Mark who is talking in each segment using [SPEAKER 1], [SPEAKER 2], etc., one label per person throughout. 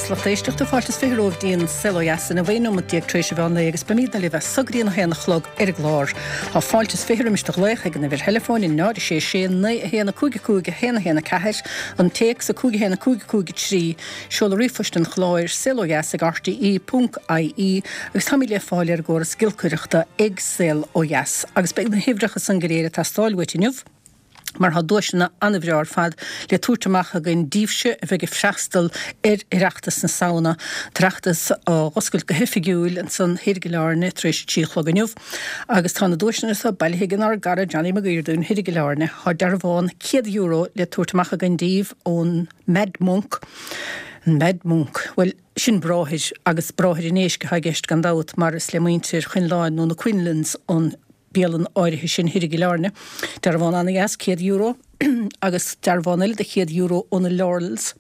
[SPEAKER 1] is lucht éisteachta, fáilte is 20 romhaibh go dtí an Saol Ó Dheas inniu, 11 nóimeat tar éis an mheán lae agus beimidne libh as so go dtí an 1 a chlog ar an gclár. Tá fáilte is 20 roimis do ghlaoch ag an uimhir theileafóin 0 6 6 9 1 5 5 1 1 4, an téacs 5 1 5 5 3, seoladh ríomhphoist an chláir, saolodheas ag rte ponc ie agus táimid le fáil ar an gcóras giolcaireachta ag Saol Ó Dheas agus beidh na huimhreacha san go léir ag teastáil uait inniu. mar tá duaiseanna an-bhreá ar fad le tabhairt amach againn daoibhse a bheidh ag freastal ar Oireachtas na Samhna, an tOireachtas á oscailt go hoifigiúil ansan thoir i gCill Airne tar éis a 3 a chlog inniu. Agus tá na duaiseanna seo bailithe ag inár gcara Johnny Mag Uighir dúinn thoir i gCill Airne. Tá dearbhán €100 le tabhairt amach againn daoibh ón Mad Monk, an Mad Monk, bhuel, sin bráthair, agus bráthair an éisc atá i gceist gan dabht mar is le muintir Choinleáin nó na Quinlans an bialann áirithe sin thoir i gCill Airne. Dearbhán ana-dheas, €100, agus dearbhán eile de €100 ó na Laurels,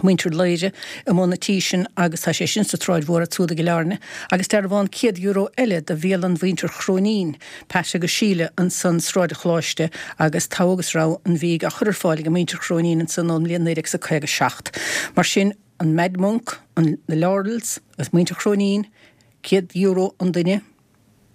[SPEAKER 1] muintir Laoire, i mbun an tí sin agus tá sé sin sa tSráid Mhór ansúd i gCill Airne, agus dearbhán €100 eile do bhialann mhuintir Chróinín, Pat agus Síle, ansan Sráid an Choláiste agus togha agus rogha an bhídh á chur ar fáil ag muintir Chróinín ansan ón mbliain 1957. Mar sin, an Mad Monk, an na Laurels agus muintir Chróinín, €100 an duine.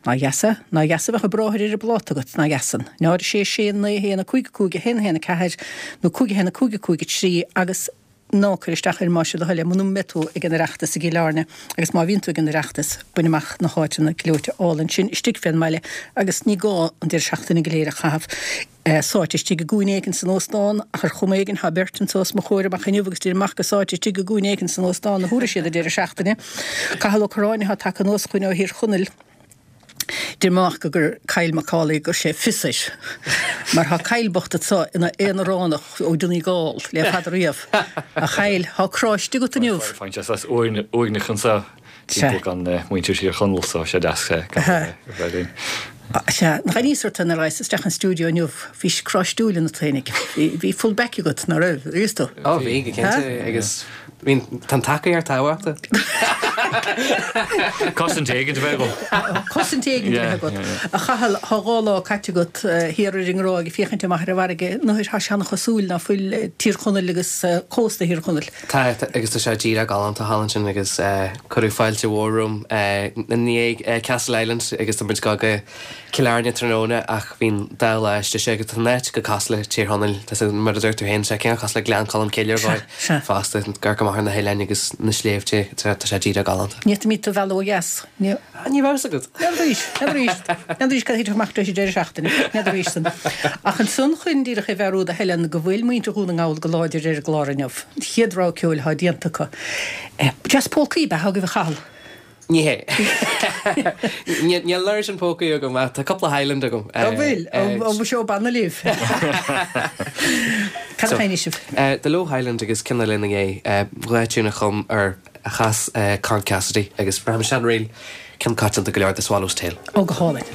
[SPEAKER 1] Nár dheas é? Nár dheas a bheadh an bráthair ar an bpláta agat, nár dheas san? 0 6 6 9 1 5 5 1 1 4 nó 5 1 5 5 3 agus ná cuir isteach air más é do thoil é muna mbeidh tú ag an Oireachtas i gCill Airne agus má bhíonn tú ag an Oireachtas bain amach na háiteanna gleoite álainn sin istigh fén mbaile agus ní gá an deireadh seachtaine go léir a chaitheamh sáite istigh i gcúinne éigin san óstán, ach ar chuma éigin tá beirt anso os mo chomhair amach inniu agus deirim amach gur sáite istigh i gcúinne éigin san óstán a thabharfaidh siad an deireadh seachtaine. Cathal Ó Curráin atá tagtha anuas chugainn ó Thír Chonaill. Deirim amach go gur Kyle Macaulay gur sé fios air, mar tá Kyle bocht anso ina aonaránach ó Donegal le fada riamh. A Kyle, tá crá istigh agat inniu.
[SPEAKER 2] Faigheann sé saghas uaigneach anso. Timpeall gan muintir Thír Chonaill so sé deas gan a bheith linn.
[SPEAKER 1] Sea, nach aníos ort nuair a ghabhais isteach an stiúideo inniu, bhí crá stiúil ionat féinig. Bhí full back agat, ná raibh, ar fhios tú?
[SPEAKER 3] Ó bhí, go cinnte, agus bhí, tá an tacaíocht tábhachtach.
[SPEAKER 2] Cosaint éigin a bheith
[SPEAKER 1] agam. Cosaint éigin a bheith agat. A Chathail, tá dhá lá caite agat thiar ar an nGráig ag féachaint amach ar an bhfarraige, nuair tá sé an-chosúil ná fuil Tír Chonaill agus cósta Thír Chonaill.
[SPEAKER 3] Tá, agus tá sé díreach galánta thall ansin agus cuireadh fáilte mhór romham i ndiaidh Castleisland agus tá muid ag dul go Cill Airne tráthnóna ach bhí an dá lá istigh sé agus tá an áit chomh cosúil le Tír Chonaill, tá sé, mar a dúirt tú féin, tá sé cineál cosúil le Gleann Cholm Cille ar dhóigh fosta, ag amharc amach ar na hoileáin agus na sléibhte, tá sé díreach galánta.
[SPEAKER 1] Ní fhéadfaimis tú a mhealladh ó dheas.
[SPEAKER 3] Ní raibh fhios agat.
[SPEAKER 1] N'fheadar arís, n'fheadar arís cad a thitfeadh amach tar éis an deireadh seachtaine, n'fheadar arís san. Ach ansan chun díreach a mheabhrú do Helen go bhfuil muintir Dhún na nGall go láidir ar an gclár inniu. An chéad rogha ceoil atá déanta acu. Deas pócaí ab ea agaibh a Chathail?
[SPEAKER 3] Ní hé. Níl an oiread sin pócaí agam ach tá cúpla Highland agam.
[SPEAKER 1] An bhfuil? An bhfuil seó banna libh? Cad a sheinnfidh sibh?
[SPEAKER 3] The Low Highland agus ceann eile ina dhiaidh, dhá tiún a chum ar a chas Con Cassidy agus braithim seanríl ceann coitianta go leor The Swallow's Tail.
[SPEAKER 1] Ó, go hálainn.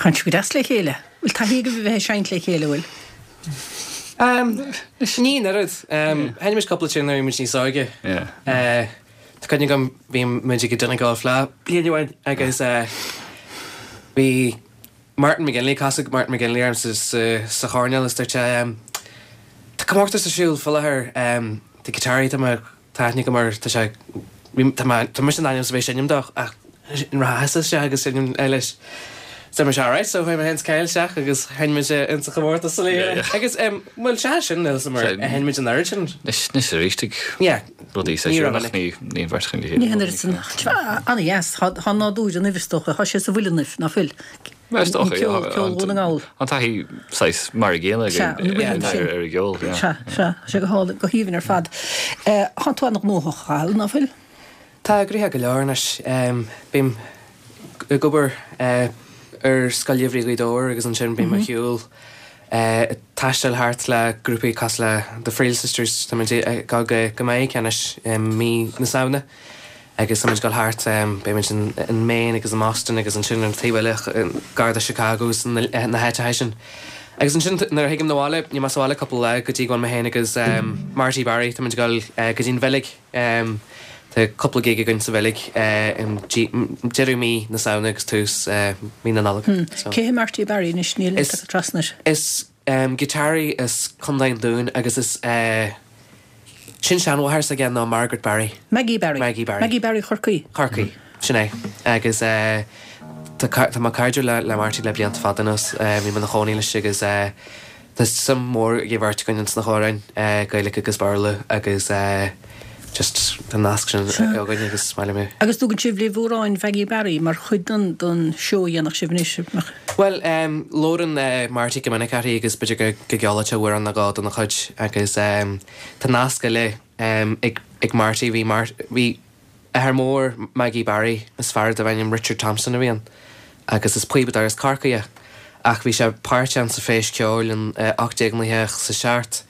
[SPEAKER 1] Tánn sibh go deas le chéile. Bhfuil taithí agaibh a bheith ag seinnt le chéile, bhfuil?
[SPEAKER 3] Ní an oiread. Sheinn muid cúpla tune nuair a bhí muid níos óige. Tá cuimhne agam bhí muid ag Donegal Fleadh bliain amháin agus bhí Martin McGinley, casadh Martin McGinley orm sa choirnéal is dúirt sé tá comórtas ar siúl faoi láthair, tá giotáraí tá mé Tá aithne agam air, tá sé, tá mé, tá mise in ainm is a bheith ag seinm dó ach an rachfá isteach agus seinm leis. So mise alright, so chuaigh mé féin is Kyle isteach agus sheinn muid in sa chomórtas sa léire. Agus bhuel sea sin níl 'fhios a'm ar sheinn muid an oiread sin.
[SPEAKER 2] Anois, anois arís ag
[SPEAKER 3] Yeah.
[SPEAKER 2] rudaí
[SPEAKER 3] Ní raibh
[SPEAKER 2] seisiún ach ní, ní an bheirt againn le
[SPEAKER 1] chéile. Ní an oiread sin. Ana-dheas, tá tá nádúr ionaibh is dócha, tá sé sa bhfuil ionaibh, ná fuil?
[SPEAKER 2] Is dócha,
[SPEAKER 1] Ceol, ceol Dhún na nGall.
[SPEAKER 2] An taithí saghas mar a gcéanna
[SPEAKER 1] Sea, an rhythm sin.
[SPEAKER 2] ar an gceol, yeah.
[SPEAKER 1] Sea, sea, tá sé go hálainn, go haoibhinn ar fad. Tá tú an-ghnóthach, a Chathail, ná fuil?
[SPEAKER 3] Tá, gnoitheach go leor anois. Bím ag obair ar Scoil Gheimhridh Ghaoth Dobhair agus ansin bím ar shiúl ag taisteal thart le grúpaí cosúil le The Friel Sisters, tá muid ag dul go Meiriceá anois i mí na Samhna. Agus tá muid ag dul thart, beidh muid in Maine agus i mBoston agus ansin ar an taobh eile, gar do Chicago agus na háiteacha sin. Agus ansin nuair a thigim 'na bhaile, níl mé sa bhaile cúpla lá go dtí go bhfuil mé féin agus Marty Barry, tá muid ag dul go dtí an Bheilg. Tá cúpla gig againn sa Bheilg i deireadh mí na Samhna agus tús mí na Nollag.
[SPEAKER 1] Cé hé Marty Barry anois? Níl mé tagtha trasna air.
[SPEAKER 3] Is giotáraí as Contae an Dúin agus is sin-seanmháthair s'aige ná Margaret Barry.
[SPEAKER 1] Maggie Barry.
[SPEAKER 3] Maggie Barry.
[SPEAKER 1] Maggie Barry Chorcaí.
[SPEAKER 3] Chorcaí, sin é. Agus tá tá mé cairdiúil le le Marty le blianta fada anuas. Bhí mé ina chónaí leis agus tá suim mhór ag an bheirt againn ins na hamhráin, Gaeilge agus Béarla agus just tá an nasc sin againn agus is maith liom é.
[SPEAKER 1] Agus dtugann sibh libh amhráin Mhaggie Barry mar chuid den den seó a dhéanfadh sibh anois?
[SPEAKER 3] Bhuel, labhrann Marty go minic uirthi agus b'fhéidir go go gceolfadh sé amhrán nó dhó dena chuid agus tá nasc eile ag ag Marty, bhí Mar bhí athair mór Maggie Barry, is fear darbh ainm Richard Thompson a bhí ann agus is píobadóir as Corcaigh é ach bhí sé páirteach sa Feis Ceoil in 1897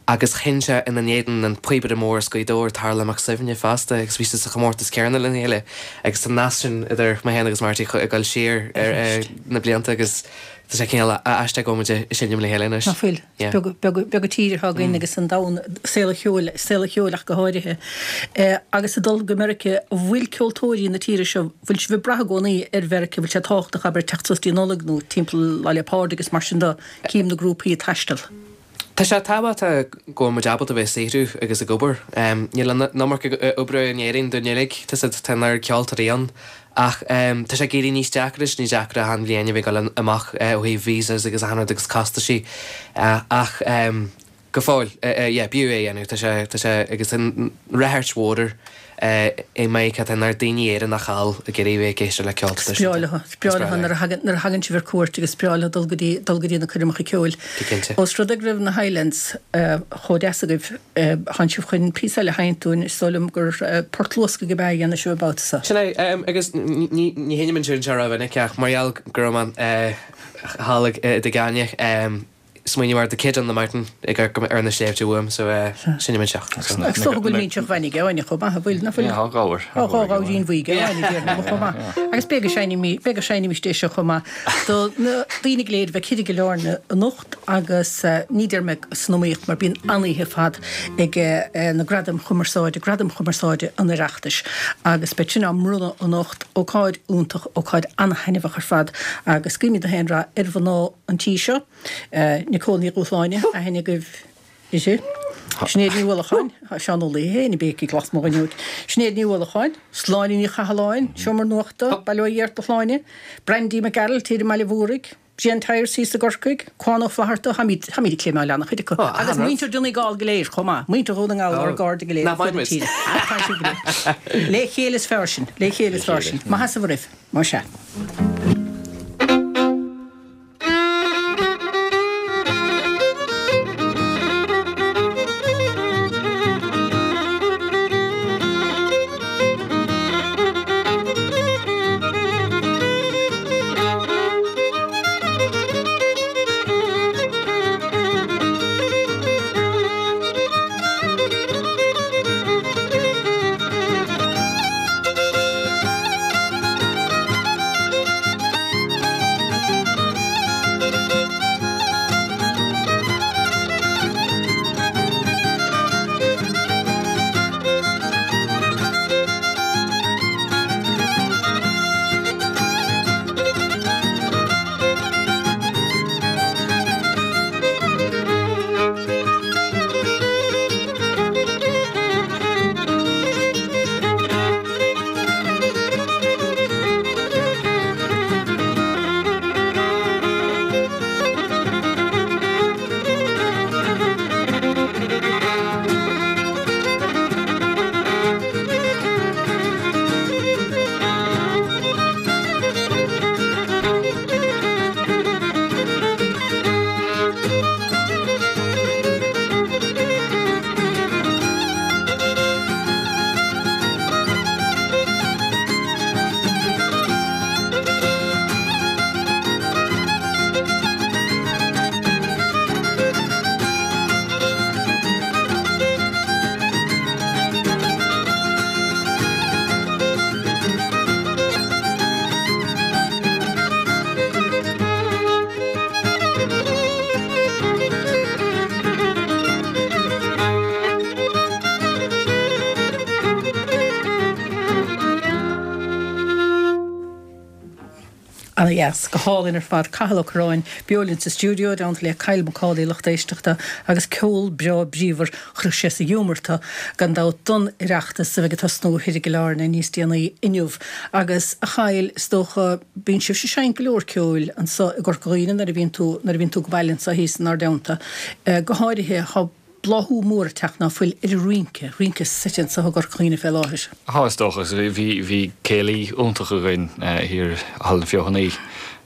[SPEAKER 3] Agus sheinn sé ina n-éadan an píobaire mór as Gaoth Dobhair, Tarlach Mac Suibhne, fosta, agus bhí siad sa chomórtas céanna lena chéile. Agus tá an nasc sin idir mé féin agus Marty ag dul siar ar na blianta agus tá sé cineál aisteach go bhfuil muid ag seinm le chéile anois.
[SPEAKER 1] Ná fuil? Is beag, beag an tír atá againn agus an domhan, saol an cheoil, saol an cheoil ach go háirithe. Agus ag dul go Meiriceá, an bhfuil ceoltóirí na tíre seo, bhfuil sibh ag brath i gcónaí ar Mheiriceá, bhfuil sé tábhachtach, abair, teacht suas dtí Nollaig nó timpeall Lá 'le Pádraig agus mar sin de, cím na grúpaí ag taisteal.
[SPEAKER 3] Tá sé tábhachtach go bhfuil muid ábalta bheith ag saothrú agus ag obair. Níl an iomarca oibre in Éirinn dúinn uilig, tá 's a'd, tá an oiread ceoltóirí ann. Ach tá sé ag éirí níos deacra is níos deacra achan bhliain a bheith ag dul amach ó thaobh visas agus achan rud agus costaisí. Ach go fóill, yeah, b'fhiú é a dhéanamh. Tá sé, tá sé, agus tá ráchairt mhór air. I Meiriceá tá an oiread daoine Éireannach thall ag iarraidh bheith ag éisteacht le ceol
[SPEAKER 1] traidisiúnta. Is breá leo, is breá leo nuair a thagann, nuair a thagann sibh ar cuairt agus is breá leo dul go dtí, dul go dtí na coirmeacha ceoil.
[SPEAKER 3] Go cinnte.
[SPEAKER 1] Ós rud é go raibh na Highlands chomh deas agaibh, tánn sibh chun píosa eile a sheinnt dúinn, is dóigh liom gur Port Luascaigh ab ea a dhéanfaidh sibh an babhta
[SPEAKER 3] seo. Sin é, agus ní, ní sheinnim an tiún seo rómhinic ach mar gheall go raibh mé thall i dTigh Áine, smaoiním ar The Kid on the Mountain ag amharc ar na sléibhte uaim so seinnim anseo.
[SPEAKER 1] Is dócha go bhfuil Mínseach Mhainge againne chomh maith, an bhfuil? Nach bhfuil?
[SPEAKER 2] Tá gabhar.
[SPEAKER 1] Tá gabhairín bhuí againne déarfainn chomh maith. Agus b'fhéidir go seinnimid, b'fhéidir go seinnimis é seo chomh maith do na daoine go léir a bheidh thiar i gCill Airne anocht agus ní deir mé san iomaíocht mar bíonn an-oíche ar fad ag na Gradaim Chumarsáide, Gradaim Chumarsáide an Oireachtais agus beidh sin á mbronnadh anocht, ócáid iontach, ócáid an-thaitneamhach ar fad agus guímid gach aon rath ar mhná an tí seo. Nicole Ní Dhúshláine, aithne agaibh uirthi. Sinéad Ní Uallacháin, Seán Ó Laoithe féin ag béicigh lasmuigh den fhuinneog. Sinéad Ní Uallacháin, Sláine Ní Chathalláin, Seomra Nuachta, Baile Ó Dhéarta Shláine, Brandy Mac Gearailt thiar i mBaile Mhúraigh, Brian Tyers thíos i gCorcaigh, Cuán Ó Flatharta, táimid ag cléimeáil an-chuid acu. Agus muintir Donegal go léir chomh maith, muintir Dhún na nGall, ár gcairde go léir ar fud na tíre. Tá sibh go léir. Le chéile is fearr sinn, le chéile is fearr sinn. Maith as a bhur oraibh. Más ea. Ana-dheas. Go hálainn ar fad. Cathal Ó Curráin beo linn sa stiúideo, i dteannta le Kyle Macaulay, lucht éisteachta, agus ceol breá bríomhar, chuirfeadh sé sa ghiúmar tú, gan dabht, don Oireachtas a bheidh ag tosnú thoir i gCill Airne níos déanaí inniu. Agus, a Chathail, is dócha, bíonn sibhse ag seinnt go leor ceoil anso i gCorca Dhuibhne nuair a bhíonn tú, nuair a bhíonn tú ag baile anso thíos inár dteannta. Go háirithe, tá bláthú mór ag teacht ná fuil ar an rince, rince seite anso i gCorca Dhuibhne fé láthair.
[SPEAKER 2] Tá, is dócha. Bhí, bhí céilí iontach againn thiar i Halla na Feothanaí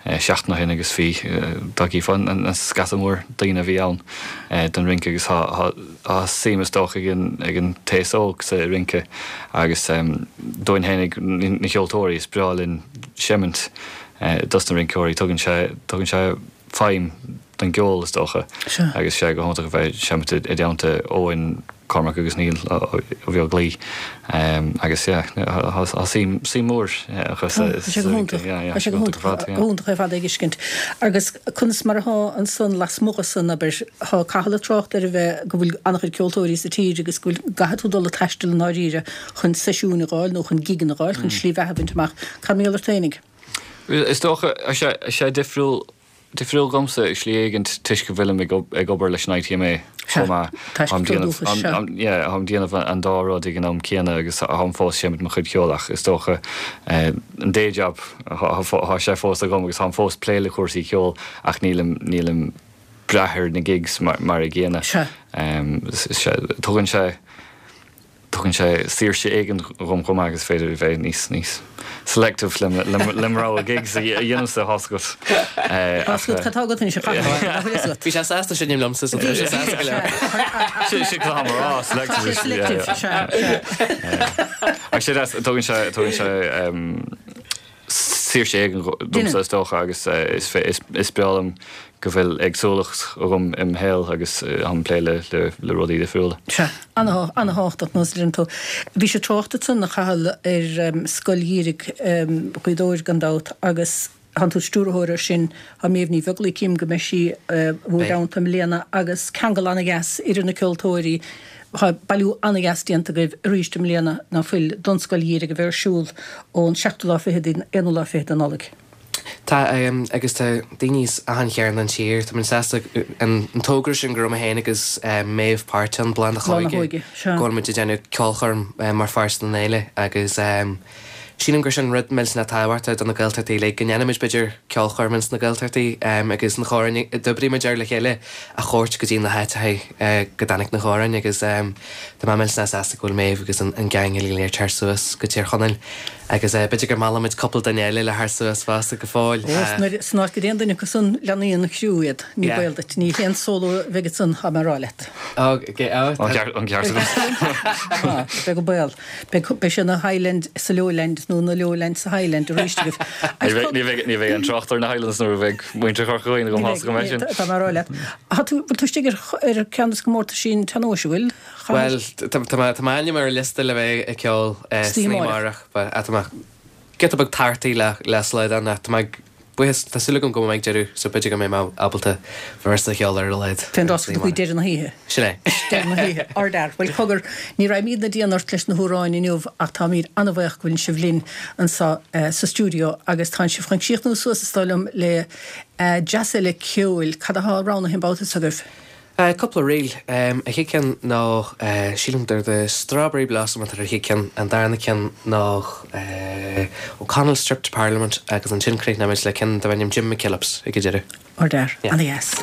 [SPEAKER 2] seachtain ó shin agus bhí, dá gcífeá an scata mór daoine a bhí ann don rince agus tá, tá, tá suim is dócha ag an, ag an t-aos óg sa rince agus dúinn fhéinig, na ceoltóirí, is breá linn seimint dos na rinceoirí, tugann sé, tugann sé feidhm don gceol is dócha agus sé go hiontach a bheith ag seimint i dteannta Eoin, Cormac agus Niall Ó Beaglaoich agus yeah tá suim suim mór
[SPEAKER 1] acu sa Tá sé go hiontach, tá sé go hiontach, go hiontach ar fad é a fheiscint. Agus conas mar atá ansan lasmuigh de san, abair, tá Cathal ag trácht ar a bheith, go bhfuil an-chuid ceoltóirí sa tír agus go bhfuil, go gcaithfidh tú dul ag taisteal i ndáiríre chun seisiúin a dh'fháil nó chun gigeanna a dh'fháil, chun slí bheatha a bhaint amach. Cad mar gheall ort fhéinig?
[SPEAKER 2] Is dócha, tá sé, tá sé difriúil, difriúil dhomsa i slí éigint toisc go bhfuilim ag, ag obair leis an ITMA chomh maith. Táim déanamh, yeah, táim déanamh an dá rud ag an am céanna agus táim fós seimint mo chuid ceoil ach is dócha an day job, tá sé fós agam agus táim fós plé le cúrsaí ceoil ach nílim, nílim brath ar na gigs mar, mar a gcéanna. Tugann sé. Tugann sé saoirse éigin dhom chomh maith agus is féidir a bheith níos níos selective le le mo rogha gigs a dhéanamh tá's agat.
[SPEAKER 1] Tá's agat cad tá agat anois a Chathail, nach bhfuil fhios agat.
[SPEAKER 3] Bhí sé sásta seinm liomsa so tá sé sásta go leor.
[SPEAKER 2] Sin sin cad tá mé a rá, selective. Tá sé selective, sea, sea. Ach sé deas, tugann sé tugann sé saoirse éigin domsa is dócha agus is breá liom go bhfuil éagsúlacht agam im shaol agus táim ag plé le rudaí difriúla.
[SPEAKER 1] Sea, an-thábhachtach, nós a deireann tú. Bhí sé trácht ansan, a Chathail, ar Scoil Gheimhridh Ghaoth Dobhair gan dabht agus tánn tú stiúrthóir air sin, tá Méabh Ní Bheaglaoich, cím go mbeidh sí i bhur dteannta i mbliana agus ceangal an-dheas idir na ceoltóirí, Tá bailiú an-dheas déanta agaibh arís i mbliana, ná fuil, don Scoil Gheimhridh a bheidh ar siúl ón seachtú lá fichead dtí'n aonú lá fichead de Nollaig.
[SPEAKER 3] Tá, agus tá daoine as achan chearn den tír. Tá muid sásta an togra sin go raibh mé féin agus Méabh páirteach ann, Bláth na hÓige, go bhfuil muid ag déanamh ceolchoirm mar pháirt den fhéile agus sílim gur sin rud millteanach tábhachtach do na Gaeltachtaí uilig, go ndéanfaimid b'fhéidir ceolchoirm ins na Gaeltachtaí agus na hamhráin a d'oibrigh muid air le chéile a thabhairt go dtí na háiteacha go dtáinig na hamhráin agus tá mé millteanach sásta go bhfuil Méabh agus an gang uilig go léir ag teacht suas go Tír Chonaill agus b'fhéidir go meallfaimid cúpla duine eile le theacht suas fosta go fóill.
[SPEAKER 1] Ó, san áit go dtéann duine acu san leanfaidh an criú iad, ní baol duit, ní haon sóló a bheidh ansan, tá mé a rá leat.
[SPEAKER 3] Ó,
[SPEAKER 2] an ceart
[SPEAKER 1] agat. Beag an baol. Beidh sé ina Highland sa Lowland nó ina Lowland sa Highland arís agaibh.
[SPEAKER 2] Ní bheidh ní bheidh aon trácht ar na Highlands nuair a bheidh muintir Chorca Dhuibhne agam tá's agam é sin.
[SPEAKER 1] Tá mé a rá leat. Tá tú bhfuil tú istigh ar ar ceann de na comórtaisí an tsean-nóis, an bhfuil?
[SPEAKER 3] Bhuel, tá tá m'ainm ar an liosta le bheith ag ceol san oíche amárach, but tá mé giota beag torthaí le le slaghdán ach tá mé buíochas, tá súil agam go mbeidh deireadh so b'fhéidir go mbeidh mé ábalta véarsa a cheol ar a laghad.
[SPEAKER 1] Fén dtosach go dtí deireadh na hoíche.
[SPEAKER 3] Sin é.
[SPEAKER 1] Deireadh na hoíche. Ardfhear. Bhuel cogar, ní raghaimídne dian ort leis na hamhráin inniu ach táimíd an-bhaoch go bhfuil sibh linn anso sa stiúideo agus tánn sibh chun críochnú suas is dóigh liom le dreas eile ceoil. Cad athá roghnaithe an babhta so agaibh?
[SPEAKER 3] Cúpla ríl. An chéad ceann ná, sílim gur The Strawberry Blossom atá ar an chéad ceann, an darna ceann ná O'Connell's Trip to Parliament agus ansin críochnóimid le ceann darb ainm Jim McKillips ag an deireadh.
[SPEAKER 1] Ardfhear. Ana-dheas.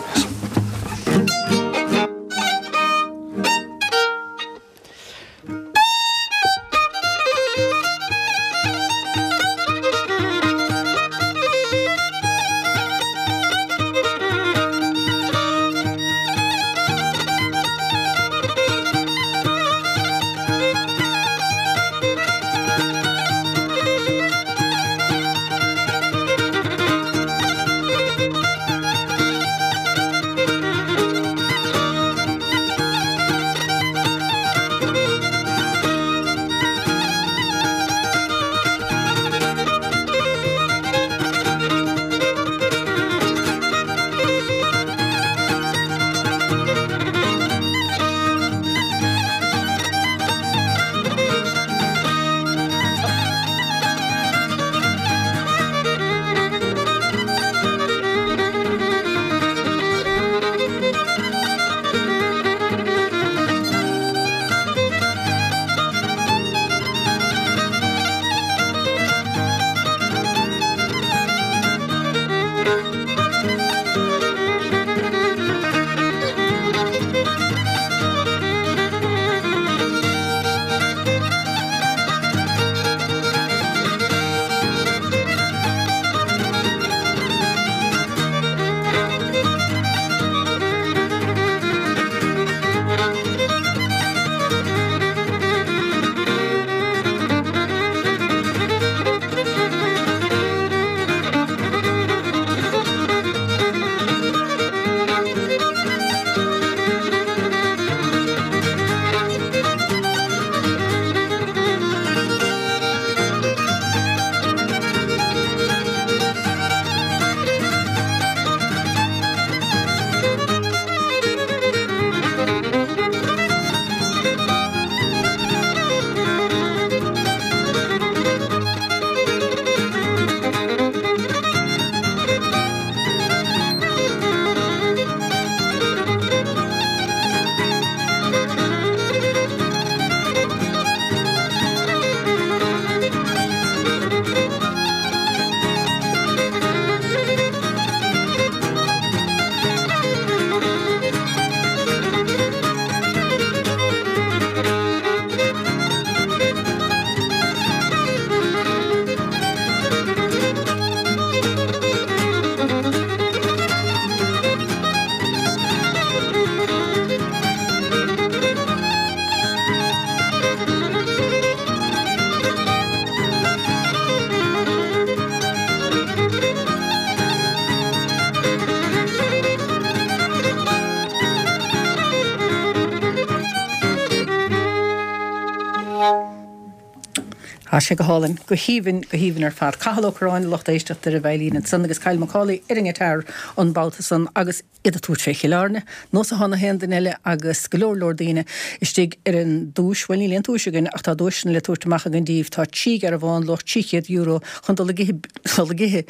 [SPEAKER 1] Tá sé go hálainn, go haoibhinn, go haoibhinn ar fad. Cathal Ó Curráin, lucht éisteachta ar an veidhlín ansan agus Kyle Macaulay ar an ngiotár an babhta san agus iad ag tabhairt fé Chill Airne, nós atá na haon duine eile agus go leor leor daoine istigh ar an duais, bhuel níl aon duais againn ach tá duaiseanna le tabhairt amach againn díbh, tá trí ghearbhán luach €300 chun dul ag ithe, dul ag ithe.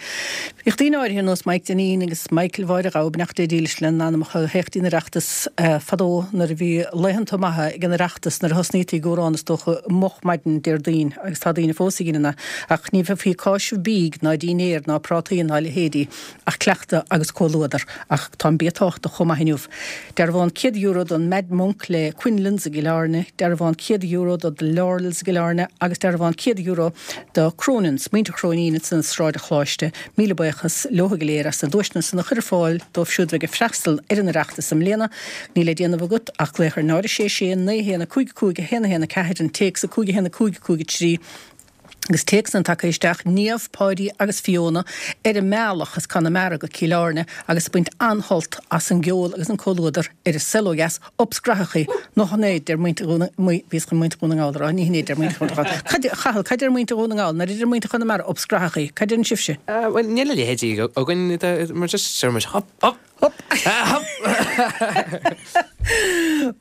[SPEAKER 1] Bhíodh daoine áirithe ar nós Mike Dineen agus Michael Mháire Ghabha, beannacht Dé dílis lena n-anamacha, a théadh dtí'n Oireachtas fadó nuair a bhí laethanta maithe ag an Oireachtas nuair a thosnaítí ag amhrán is dócha moch maidin Déardaoin agus tá daoine fós ag déanamh ach ní bheifí ag cáiseamh bídh ná dínnéir ná prátaí ná a leithéidí ach cleachtadh agus comhluadar ach tá an bia tábhachtach chomh maith inniu. Dearbhán €100 don Mad Monk le Quinlan's i gCill Airne, dearbhán €100 do The Laurels i gCill Airne agus dearbhán €100 do Cronin's, Muintir Chróinín ansan i Sráid an Choláiste, míle buíochas leo go léir as na duaiseanna san a chur ar fáil dóibh siúd a bheidh ag freastal ar an Oireachtas i mbliana. Níl le déanamh agat ach glaoch ar 0 6 6 9 1 5 5 1 1 4, an téacs 5 1 5 5 3, agus téacsanna tagtha isteach, Niamh, Páidí agus Fiona ar a mbealach as Conamara go Cill Airne agus ag baint an-shult as an gceol agus an comhluadar ar an saol ó dheas, Ups graitheachaí, nó chan é, deir muintir Dhún na, bhíos chun muintir Dhún na nGall a rá, ní hin é, deir muintir Dhún na nGall. Cad, a Chathail, cad deir muintir Dhún na nGall, nuair a deir muintir Chonamara ups graitheachaí, cad deireann sibhse?
[SPEAKER 3] Bhuel, níl a leithéidí againn, mar just deir muid hop, hop.
[SPEAKER 1] Hop! Hop!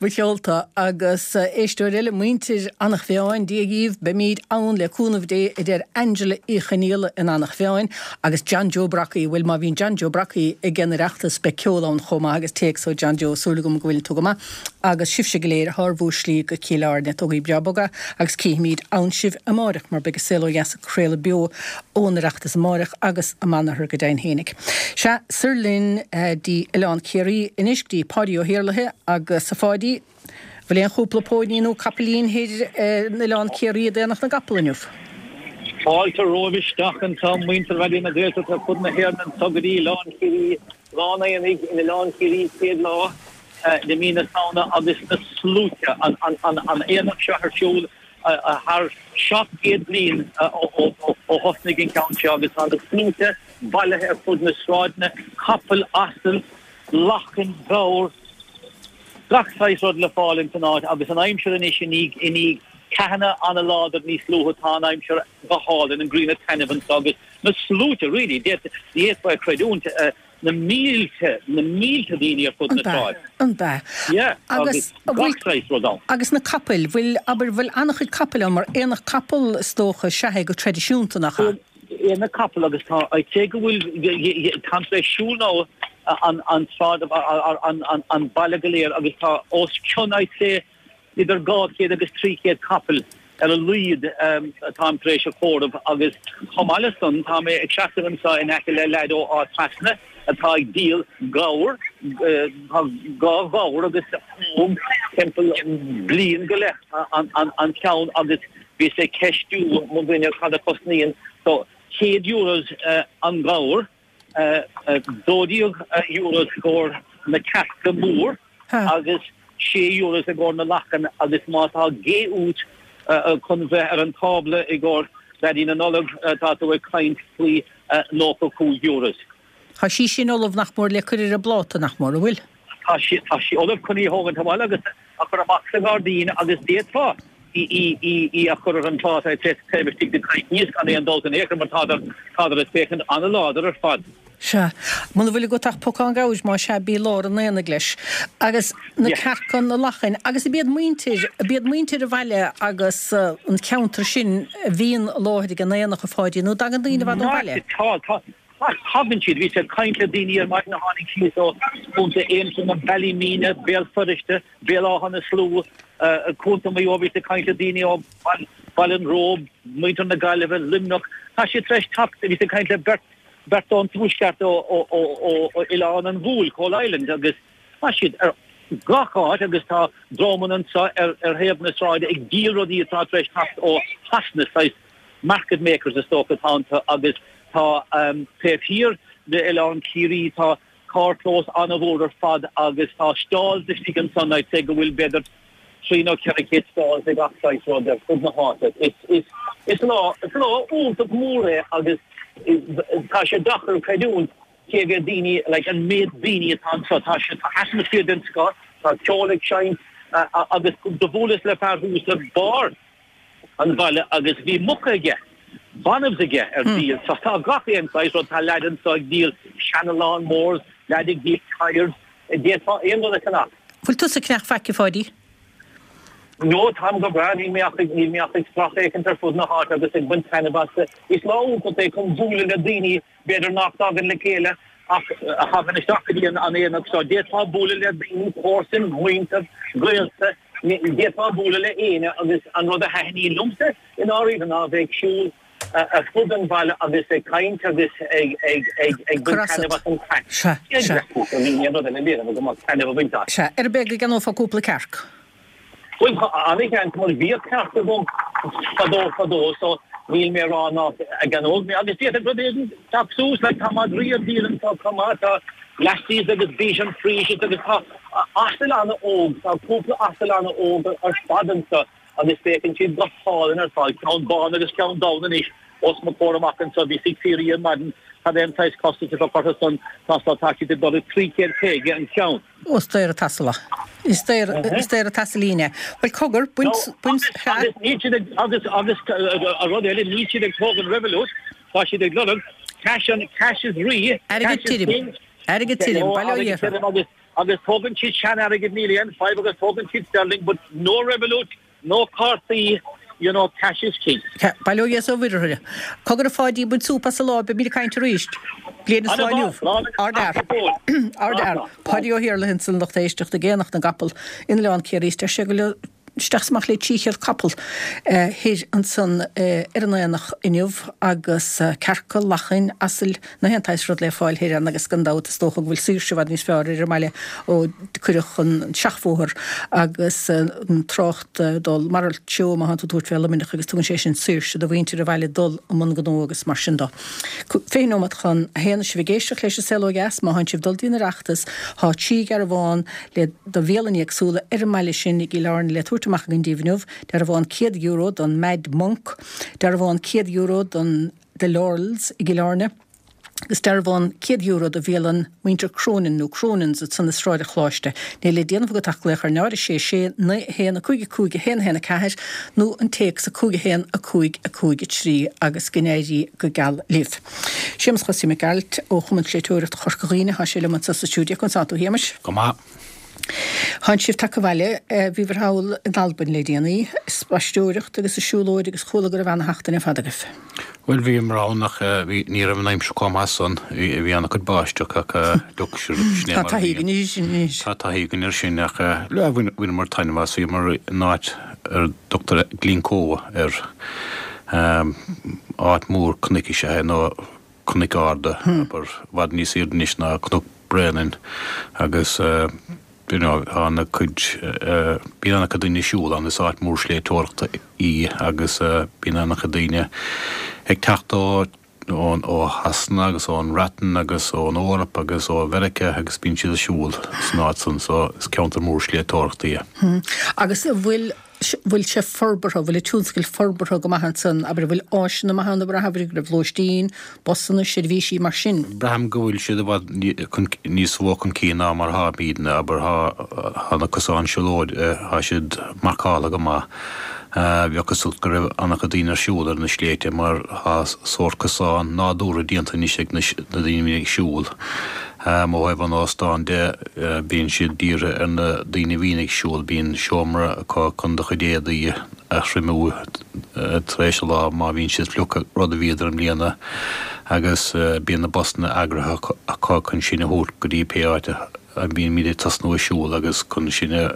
[SPEAKER 1] Ba cheolta agus éisteoir eile, muintir Eanach Mheáin, Dia dhíbh, beimíd ann le cúnamh Dé, a deir Angela Uí Chonaola in Eanach Mheáin, agus John Joe Brockie, bhuel má bhíonn John Joe Brockie ag an Oireachtas beidh ceol ann chomh maith agus téacs ó John Joe, súil agam go bhfuileann tú go maith agus sibhse go léir atá ar bhur slí go Cill Airne, tógaigí breá bog é agus cífimíd ann sibh amáireach mar beidh an Saol Ó Dheas ag craoladh beo ón Oireachtas amáireach agus amanathar go deimhin fhéinig. Sea, soir linn dtí Oileán Ciarraí anois, go dtí Páidí Ó hIarlaithe agus a Pháidí, bhfuil aon chúpla póiní nó capaillín thoir in Oileán Ciarraí ag Aonach na gCapall inniu?
[SPEAKER 4] Fáilte romhaibh isteach anseo, muintir Raidió na Gaeltachta ar fud na hÉireann anseo go dtí Oileán Ciarraí, Lá an Aonaigh in Oileán Ciarraí, chéad lá de mí na Samhna agus na sluaite, an aonach seo ar siúl thar 700 bliain ó thosnaigh an ceann seo agus tá na sluaite bailithe ar fud na sráideanna, capaill, asail, lachain, gabhair, gach saghas rud le fáil ins an áit agus an aimsir anois i ndiaidh ceathanna an-láidir níos luaithe tá an aimsir go hálainn, an ghrian ag taitneamh anseo agus na sluaite really, ní fhéadfá a chreidiúint. na mílte, na mílte daoine ar fud na sráide.
[SPEAKER 1] An ea?
[SPEAKER 4] Yeah, agus gach saghas rud ann.
[SPEAKER 1] Agus na capaill, bhfuil, abair, bhfuil an-chuid capaill ann, mar aonach capall is dócha is ea é go traidisiúnta, nach ea?
[SPEAKER 4] Aonach capall agus tá, I'd say go bhfuil, táim tar éis siúl now an, an tsráid, an, an, an baile go léir agus tá os cionn, I'd say, Idir 200 agus 300 capall ar a laghad atáim tar éis a chomhaireamh agus chomh maith le san tá mé ag seasamh anseo in aice le leaid ó Áth Trasna atá ag díol gabhar, tá dhá ghabhar agus óg timpeall bliain go leith an ceann agus bhíos ag ceistiú mo dhuine cad a chosnaíonn so 100 euros an gabhar. €12 i gcomhair na cearca mór agus €6 i gcomhair na lachan agus má tá gé uait chun bheith ar an tábla i gcomhair Daidí na Nollag tá tú ag caint faoi €95.
[SPEAKER 1] Tá sí sin ullamh nach mór le cur ar an bpláta, nach mór, an bhfuil?
[SPEAKER 4] Tá sí, tá sí ullamh chun í a thógaint abhaile agus a chur amach sa ghairdín agus d'fhéadfá í, í, í a chur ar an phláta taobh istigh de coicíos gan aon dabht in aon chor mar tádar, tádar ag féachaint an-láidir ar fad.
[SPEAKER 1] Sea. Muna bhfuil agat ach pocán gabhair, más ea, bí i lár an aonaigh leis. Agus na cearca, na lachain, agus ab iad muintir, ab iad muintir an bhaile agus an ceantar sin a bhíonn i láthair ag an aonach, a Pháidí, nó dtagann daoine i bhfad ón bhaile?
[SPEAKER 4] Tá, tá. Tagann siad. Bhíos ag caint le daoine ar maidin a tháinig síos ó Chontae Aontroma, Ballymena, Béal Feirste, Béal Átha na Slua, Contae Mhaigh Eo, bhíos ag caint le daoine ó Bhaile an Róba, muintir na Gaillimhe, Luimneach. Tá siad tar éis teacht, bhíos ag caint le beirt, beirt ón tuaisceart ó Oileán an Bhúil, Coalisland, agus tá siad ar gach áit agus tá dreamanna anseo ar thaobh na sráide ag díol rudaí atá tar éis teacht ó Shasana, saghas market makers is dócha atá iontu agus tá taobh thiar d'Oileán Ciarraí tá carrchlós an-mhór ar fad agus tá stalls istigh ansan I'd say go bhfuil b'fhéidir 3 nó 400 stalls ag gach saghas rud ar fud na háite. Is, is, is lá, is lá iontach mór é agus tá sé deacair creidiúint cé mhéad daoine, like an méid daoine atá anseo. Tá sé, tá atmaisféar den scoth, tá ceol ag seinnt agus do bhuaileas le fear thuas ar barr. an bhaile agus bhí muca aige, banbhs aige ar díol. So tá gach aon saghas rud, tá leaid anso ag díol seana lawn mowers, leaid ag díol tyres, d'fhéadfá aon rud a cheannach.
[SPEAKER 1] Bhfuil tusa ag ceannach faic, a Pháidí?
[SPEAKER 4] No, táim go breá, níl mé ach ag, níl mé ach ag sracfhéachaint ar fud na háite agus ag baint taitneamh as. Is lá iontach é chun bualadh le daoine b'fhéidir nach dtagann le chéile ach a thagann isteach go dtí an aonach seo. D'fhéadfá bualadh le daoine, comharsain, muintir, gaolta, d'fhéadfá bualadh le éinne agus an rud a thaitníonn liomsa i ndáiríre ná a bheith ag siúl ar fud an bhaile agus ag caint agus ag ag baint taitneamh as an
[SPEAKER 1] craic. Sea, sea.
[SPEAKER 4] Níl aon rud eile léirithe go maith taitneamh a bhaint as.
[SPEAKER 1] Sea, ar bith go gceannófá cúpla cearc.
[SPEAKER 4] Bhuel, tá an-sheans mar bhíodh cearc agam fadó fadó so níl mé ag rá nach gceannóidh mé agus d'fhéadfadh rud éigin teacht suas like tá madraí ar díol anseo chomh maith, tá Lassies agus Bichon Frises agus tá asail an-óg, tá cúpla asal an-óg ar fad anseo. agus féachann siad go hálainn ar fad, ceann bán agus ceann donn anois os mo chomhair amach anseo. Bhíos ag fiafraí ar maidin cad é an saghas costas atá curtha san, tá tá tá siad ag dul ag 350 an ceann.
[SPEAKER 1] Ó, is daor an t-asal é. Is daor, is daor an t-asailín é. Bhuel, cogar, bain, bain,
[SPEAKER 4] sea. Agus níl siad ag, agus, agus an rud eile, níl siad ag tógaint Revolut, tá siad ag lorg cash an, cash is rí,
[SPEAKER 1] Airgead
[SPEAKER 4] cash is
[SPEAKER 1] tirim.
[SPEAKER 4] king.
[SPEAKER 1] Airgead tirim, bail ó
[SPEAKER 4] Airgead
[SPEAKER 1] Dhia orthu.
[SPEAKER 4] tirim agus Agus tógann siad sean-airgead níl aon fadhb agus tógann siad sterling but no Revolut, no cártaí, you know, cash is king.
[SPEAKER 1] Bail ó Dhia is ó Mhuire orthu. Cogar a Pháidí, bain súp as an lá, beimid ag caint arís. Bliain is lá inniu. Ardfhear. Ardfhear. Páidí Ó hIarlaithe ansan lucht éisteachta ag Aonach na gCapall in Oileán Ciarraí is deir sé go bhfuil isteach is amach le 300 capall thoir ansan ar an aonach inniu agus cearca, lachain, asail, na haon tsaghas rud le fáil thoir ann agus gan dabht is dócha go bhfuil saoirse i bhfad níos fearr ar an mbaile ó cuireadh an seachbhóthar agus an trácht dul mar treo má thánn tú ag tabhairt fé Luimneach agus tugann sé sin saoirse do mhuintir an bhaile dul i mbun gnó agus mar sin do. 20 nóiméad chun a haon sibh ag éisteacht leis an Saol Ó Dheas má thánn sibh dul dtí an Oireachtas thá trí dhearbhán le do bhialanna éagsúla ar an mbaile sin i gCill Airne le tabhairt amach againn daoibh inniu, dearbhán €100 don Mad Monk, dearbhán €100 don The Laurels i gCill Airne agus dearbhán €100 do bhialann Mhuintir Cronin nó Cronins ansan i Sráid an Choláiste. Níl le déanamh agat ach glaoch ar 0 6 6 9 1 5 5 1 1 4 nó an téacs 5 1 5 5 3 agus go n-éirí go geal libh. Séamus Chosaí Mac Gearailt ó Chumann Sléibhteoireachta Chorca Dhuibhne, tá sé liom anseo sa stiúideo. Conas tánn tú, a Shéamais?
[SPEAKER 5] Go maith.
[SPEAKER 1] Thánn sibh tagtha abhaile, bhíobhair thall in Albain le déanaí, ag spaisteoireacht agus ag siúlóid agus chuala go raibh ana-sheachtain ar fad agaibh.
[SPEAKER 5] Bhuel, bhíomar ann ach bhí, ní raibh an aimsir chomh maith san, bhí ana-chuid báisteach ach look, sin é
[SPEAKER 1] mar a bhíonn. Tá taithí againn air sin anois.
[SPEAKER 5] Tá taithí againn air sin ach bhaineamar taitneamh as, bhíomar in áit ar a dtugtar Glencoe air. Áit mhór cnoic is ea é, nó cnoic arda, abair, i bhfad níos airde anois ná Cnoc Bréanainn agus you know tá ana-chuid, bíonn ana-chuid daoine ag siúl ann, is áit mhór sléibhteoireachta í agus bíonn ana-chuid daoine ag teacht ó ó Shasana agus ón mBreatain agus ón Eoraip agus ó Mheiriceá agus bíonn siad ag siúl san áit san so is ceantar mór sléibhteoireachta
[SPEAKER 1] é. Agus an bhfuil, bhfuil sé forbartha, bhfuil an tionscal forbartha go maith ansan, abair, an bhfuil áiseanna maithe ann, abair, abair go raibh lóistín, busanna, seirbhísí mar sin?
[SPEAKER 5] Braithim go bhfuil siad i bhfad níos mó chun cinn ná mar atáimidne, abair, tá na cosáin siúlóide, tá siad marcáltha go maith. Bheadh cosúlacht go raibh an-chuid daoine ar siúl ar na sléibhte mar tá sórt cosán nádúrtha déanta anois ag na daoine a bhíonn ag siúl. Ó thaobh an óstáin de, bíonn siad dírithe ar na daoine a bhíonn ag siúl. Bíonn seomra acu chun do chuid éadaí a thriomú tar éis an lá má bhíonn siad fliuch, rud a bhíodar i mbliana, agus bíonn na busanna eagraithe acu chun sinn a thabhairt go dtí pé áit a mbímid ag tosnú ag siúl agus chun sinn a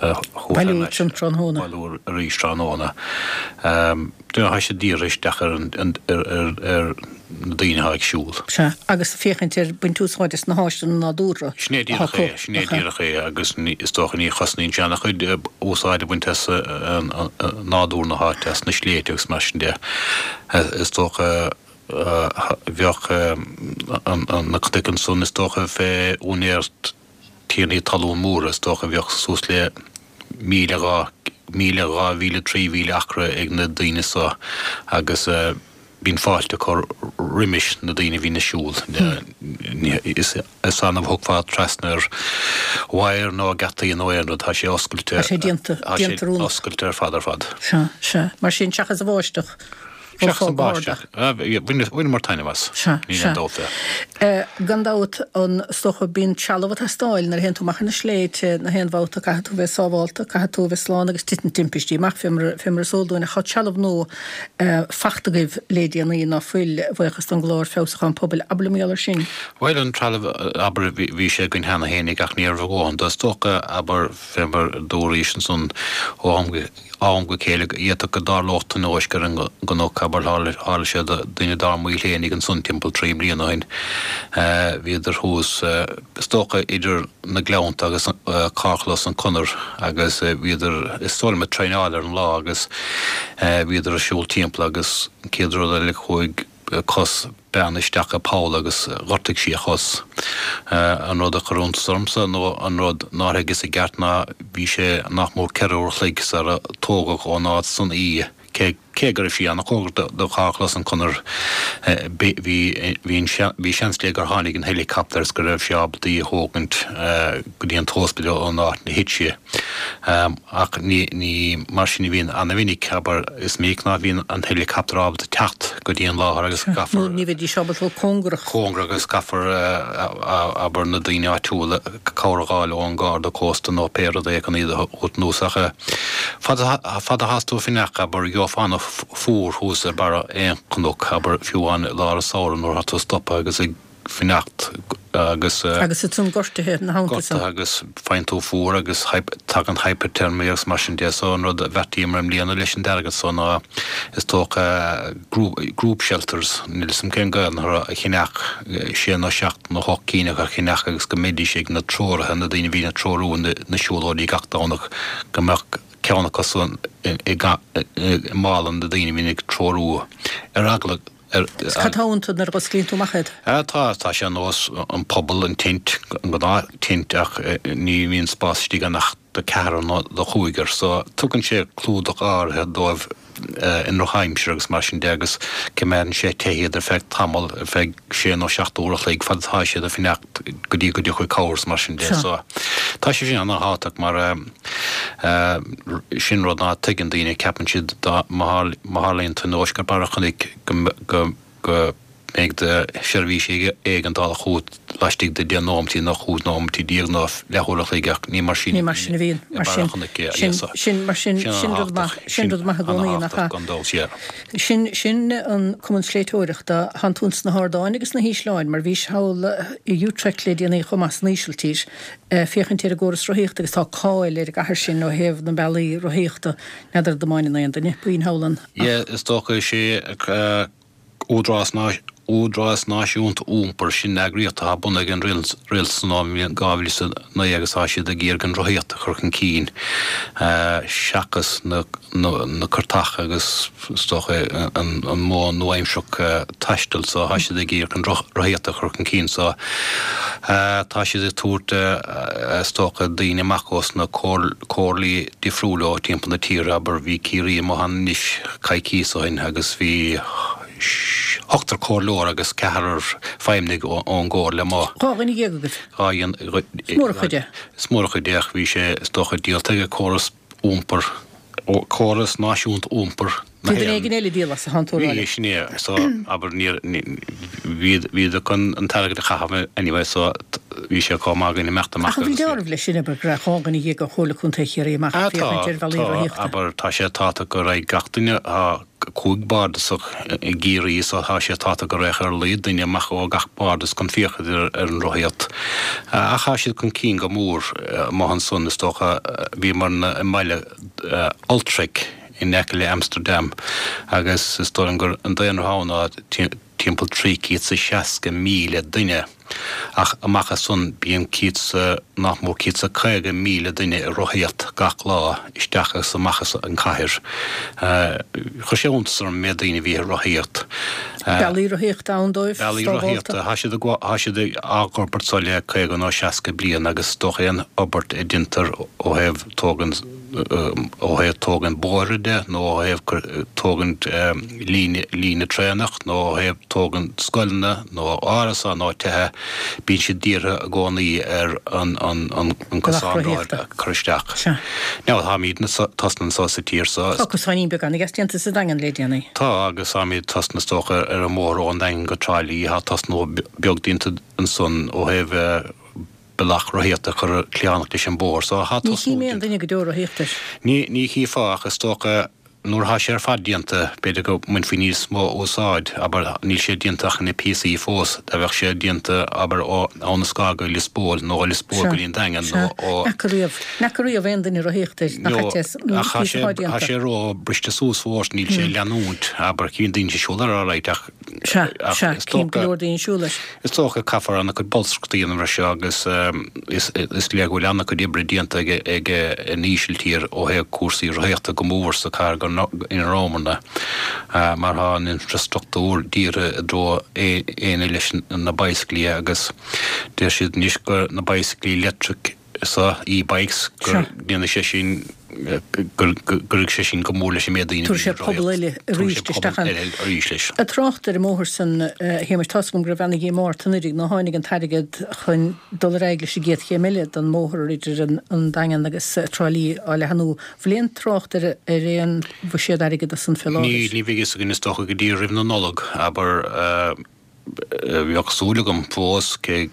[SPEAKER 1] Bailiú ansin tráthnóna.
[SPEAKER 5] Bailiú arís tráthnóna. Tá siad dírithe isteach ar ar na daoine atá ag siúl.
[SPEAKER 1] Sea, agus féachaint ar baint úsáid as na háiseanna nádúrtha
[SPEAKER 5] Sin é
[SPEAKER 1] atá
[SPEAKER 5] díreach
[SPEAKER 1] acu.
[SPEAKER 5] é, sin é díreach é agus is dócha ní chosnaíonn sé ana-chuid úsáid a bhaint as nádúr na háite, as na sléibhte agus mar sin de. Is dócha bheadh na cnoic ansan is dócha fé úinéireacht tiarnaí talún móra, is dócha, bheadh suas le míle, 2000, 3000 acra ag na daoine so agus. Bíonn fáilte á cur roimis na daoine a bhíonn ag siúl. Is annamh a thiocfá trasna ar wire nó geataí nó aon rud, tá sé oscailte.
[SPEAKER 1] Tá sé déanta,
[SPEAKER 5] Tá sé
[SPEAKER 1] déanta oiriúnach.
[SPEAKER 5] oscailte ar fad ar fad.
[SPEAKER 1] Sea, sea. Mar sin, seachas an bháisteach,
[SPEAKER 5] Seachas an bháisteach. Bhaineamar taitneamh as.
[SPEAKER 1] Sea,
[SPEAKER 5] Níl
[SPEAKER 1] sea.
[SPEAKER 5] aon dabht fé.
[SPEAKER 1] Gan dabht, an, is dócha, bíonn trealamh ag teastáil nuair a théann tú amach ar na sléibhte, na haon bhabhta, caithfidh tú a bheith sábhálta, caithfidh tú a bheith slán agus titeann timpistí amach, fé mar, fé mar is eol dúinn. Ach tá trealamh nua fachta agaibh le déanaí, ná fuil, a bhuíochas don gclár Feabhsúchán Pobail. Abair liom mar gheall air sin.
[SPEAKER 5] Bhuel, an trealamh, abair, bhí sé againn cheana fhéinig ach ní raibh a dhóthain de. Is dócha, abair, fé mar a dúraís ansan, ó am go am go chéile, d'fhéadfadh go dtarlódh tionóisc ar an gcnoc, abair, tharla sé do dhuine dár mbaill fhéinig ansan timpeall trí mbliana ó shin. Bhíodar thuas, is dócha, idir na Gleannta agus carrchlós an Conair agus bhíodar, is dóigh liom, ag traenáil ar an lá agus bhíodar ag siúl timpeall agus an chéad rud eile chuaigh cos bean isteach i bpoll agus ghortaigh sí a chos. An rud a chuir iontas ormsa nó an rud nár thuigeas i gceart ná bhí sé nach mór 4 uair a chloig sara tógadh ón áit san í. Cé cé go raibh sí an-chóngarach do charrchlós an Conair, bhí bhí bhí seans léi gur tháinig an helicopter is go raibh sé ábalta í a thógaint go dtí an t-ospidéal ón áit ina thit sí. Ach ní ní mar sin a bhíonn an-mhinic, abair, is minic ná bhíonn an helicopter ábalta teacht go dtí an láthair agus
[SPEAKER 1] caithfear. Nó ní bheidís ábalta dul cóngarach.
[SPEAKER 5] Cóngarach agus caithfear, abair, na daoine áitiúla cabhair a dh'fháil ón nGarda Cósta nó pé rud é chun iad a thabhairt anuas. Ach fad fad athás tú ag fanacht, abair, gheofá an-fhuar thuas ar barra aon chnoc, abair, fiú amháin i lár an samhradh nuair atá tú ag stopadh agus ag fanacht agus.
[SPEAKER 1] Agus ansan gortuithe ina theannta
[SPEAKER 5] san. Gortuithe agus faigheann tú fuar agus tagann hypothermia agus mar sin de. So an rud a bheartaíomar i mbliana leis an t-airgead so ná is dócha group shelters, níl 'fhios a'm cén Gaelainn orthu, a cheannach, sé nó seacht nó hocht cinn acu a cheannach agus go mbeidís ag na treoraithe, na daoine a bhíonn ag treorú na siúlóidí gach Domhnach, go mbeadh ceann acu san i mála na daoine a bhíonn ag treorú ar eagla
[SPEAKER 1] ar. Is cad tá iontu nuair a dh'osclaíonn tú amach iad?
[SPEAKER 5] Tá, tá sé ar nós an puball, an tent, an gnáth tent ach ní bhíonn spás istigh ann ach do cheathrar nó do chúigear so tugann sé clúdach áirithe dóibh i ndrochaimsir agus mar sin de agus coimeádann sé te iad ar feadh tamall, ar feadh sé nó seacht uair a chloig fad atá siad ag fanacht go dtí go dtiocfaidh cabhair is mar sin de. So tá sé sin ana-thábhachtach mar sin rud ná tuigeann daoine, ceapann siad dá má tharlaíonn tionóisc ar barr an chnoic go go mbeidh na seirbhísí éigeandála chugat laistigh de 10 nóimeataí nó 15 nóimeataí nó leathuair a chloig ach ní mar sin
[SPEAKER 1] Ní mar sin a bhíonn.
[SPEAKER 5] i
[SPEAKER 1] Mar
[SPEAKER 5] mbarr
[SPEAKER 1] sin,
[SPEAKER 5] an chnoic é.
[SPEAKER 1] sin, sin, mar sin, sin rud maith, sin rud maith i gcónaí, nach ea?
[SPEAKER 5] Gan dabht, yeah.
[SPEAKER 1] Sin, sin an Cumann Sléibhteoireachta. Thánn tú ins na hardáin agus na hísleáin, mar bhís thall i Utrecht le déanaí chomh maith san Ísiltír, féachaint ar an gcóras rothaíochta agus tá cáil ar an gcathair sin ó thaobh na mbealaí rothaíochta. N'fheadar an mbaineann aon duine puinn thall ann ach.
[SPEAKER 5] Yeah, is dócha is é Údarás Údarás Náisiúnta Iompair, sin eagraíocht atá bunaithe ag an rialtas san bhliain 2009 agus tá siad ag iarraidh an rothaíocht a chur chun cinn seachas na na cairteacha agus is dócha an modh nua-aimsearach taistil so tá siad ag iarraidh an rothaíocht a chur chun cinn so tá siad ag tabhairt is dócha daoine amach ós na comhairlí difriúla ó timpeall na tíre, abair bhí Ciarraí amuigh ann anois coicíos ó shin agus bhí ochtar comhairleoir agus ceathrar feidhmeannaigh ón gcomhairle amuigh.
[SPEAKER 1] 12 agaibh.
[SPEAKER 5] Is
[SPEAKER 1] mór an chuid é.
[SPEAKER 5] Is mór an chuid é ach bhí sé is dócha díolta ag córas iompair, córas náisiúnta iompair
[SPEAKER 1] na Bhí duine éigin eile ag díol as a thánn tú a rá
[SPEAKER 5] Bhí, sin é. So, abair, níor, bhí, bhíodar chun an t-airgead a chaitheamh anyway, so bhí sé chomh maith againn imeacht amach
[SPEAKER 1] Ach an bhfuil dealramh leis sin, abair, go raibh 12 ó Chomhairle Contae Chiarraí amach
[SPEAKER 5] Ah,
[SPEAKER 1] ag
[SPEAKER 5] tá,
[SPEAKER 1] féachaint ar bhealaí
[SPEAKER 5] tá,
[SPEAKER 1] rothaíochta?
[SPEAKER 5] abair, tá sé tábhachtach go raghadh gach duine, tá cúig bardasach i gCiarraí so tá sé tábhachtach go raghadh ar a laghad duine amach ó gach bardas chun féachaint ar an rothaíocht. Ach tá siad chun cinn go mór amuigh ansan, is dócha. Bhíomar i mbaile Utrecht in aice le Amsterdam agus is dóigh liom gur an daonra ann ná timpeall 360,000 duine. Ach amach as san bíonn céad, nach mór 150,000 duine ag rothaíocht gach lá isteach agus amach as an chathair. Chuir sé iontas orm an méid daoine a bhí ag rothaíocht.
[SPEAKER 1] Bealaí rothaíochta ann dóibh,
[SPEAKER 5] Bealaí rothaíochta, tá siad tá siad á bhforbairt so le 50 nó 60 bliain agus is dócha aon fhorbairt a deintear ó thaobh tógaint. ó thaobh tógaint bóithre de nó ó thaobh tógaint líne, líne traenach nó ó thaobh tógaint scoileanna nó árasán nó tithe, bíonn siad dírithe i gcónaí ar an, an, an, an cosán a chur isteach.
[SPEAKER 1] Sea.
[SPEAKER 5] Now, táimidne tosnaithe anso sa tír
[SPEAKER 1] so. Tá cosáinín beag an-deas déanta sa Daingean le déanaí.
[SPEAKER 5] Tá, agus táimid tosnaithe is dócha ar an mbóthar ón Daingean go Trá Lí, tá tosnú beag déanta ansan ó thaobh bealach rothaíochta a chur cliathnach leis an bóthar so tá
[SPEAKER 1] Ní tosnú chím aon duine go deo ag rothaíocht air.
[SPEAKER 5] Ní, ní chífeá ach is dócha nuair atá sé ar fad déanta b'fhéidir go mbainfí níos mó úsáid, abair, níl sé déanta ach ina píosaí fós, dá bheadh sé déanta, abair, ó Abha na Scátha go Lios Póil nó ó Lios Póil go dtí an Daingean
[SPEAKER 1] nó ó. Ní fhaca riamh, ní fhaca riamh aon duine ag rothaíocht air, nach ait é,
[SPEAKER 5] ach tá sé, tá sé ró briste suas fós, níl sé ag leanúint, abair, cíonn daoine ag siúl air alright ach.
[SPEAKER 1] Sea, sea, cím go leor daoine ag siúl air.
[SPEAKER 5] Is dócha caithfear an-chuid bolscaireachta a dhéanamh air seo agus is léir go bhfuil an-chuid oibre déanta ag an Ísiltír ó thaobh cúrsaí rothaíochta go mór sa chathair ina rabhamarna mar tá an infreastruchtúr dírithe i dtreo éinne leis na bicyclí agus deir siad anois gur na bicyclí leictric so, e-bikes, go ndéanfaidh sé sin, go gcuirfidh sé sin go mór leis an méid daoine
[SPEAKER 1] a bhíonn ag rothaíocht. Tabharfaidh sé pobal eile arís isteach ann.
[SPEAKER 5] Arís leis.
[SPEAKER 1] Ag trácht ar an mbóthar san, a Shéamais, tá's agam go raibh ana-dhíomá ort anuraidh nár tháinig an t-airgead chun dul ar aghaidh leis an gcéad chéim eile den mbóthar idir an Daingean agus Trá Lí á leathnú. Bhfuil aon trácht ar aon bhuiséad airgead ansan fé
[SPEAKER 5] láthair? Níl, ní bheidh fhios againn is dócha go dtí roimh na Nollag, abair. Bheadh súil agam fós, cé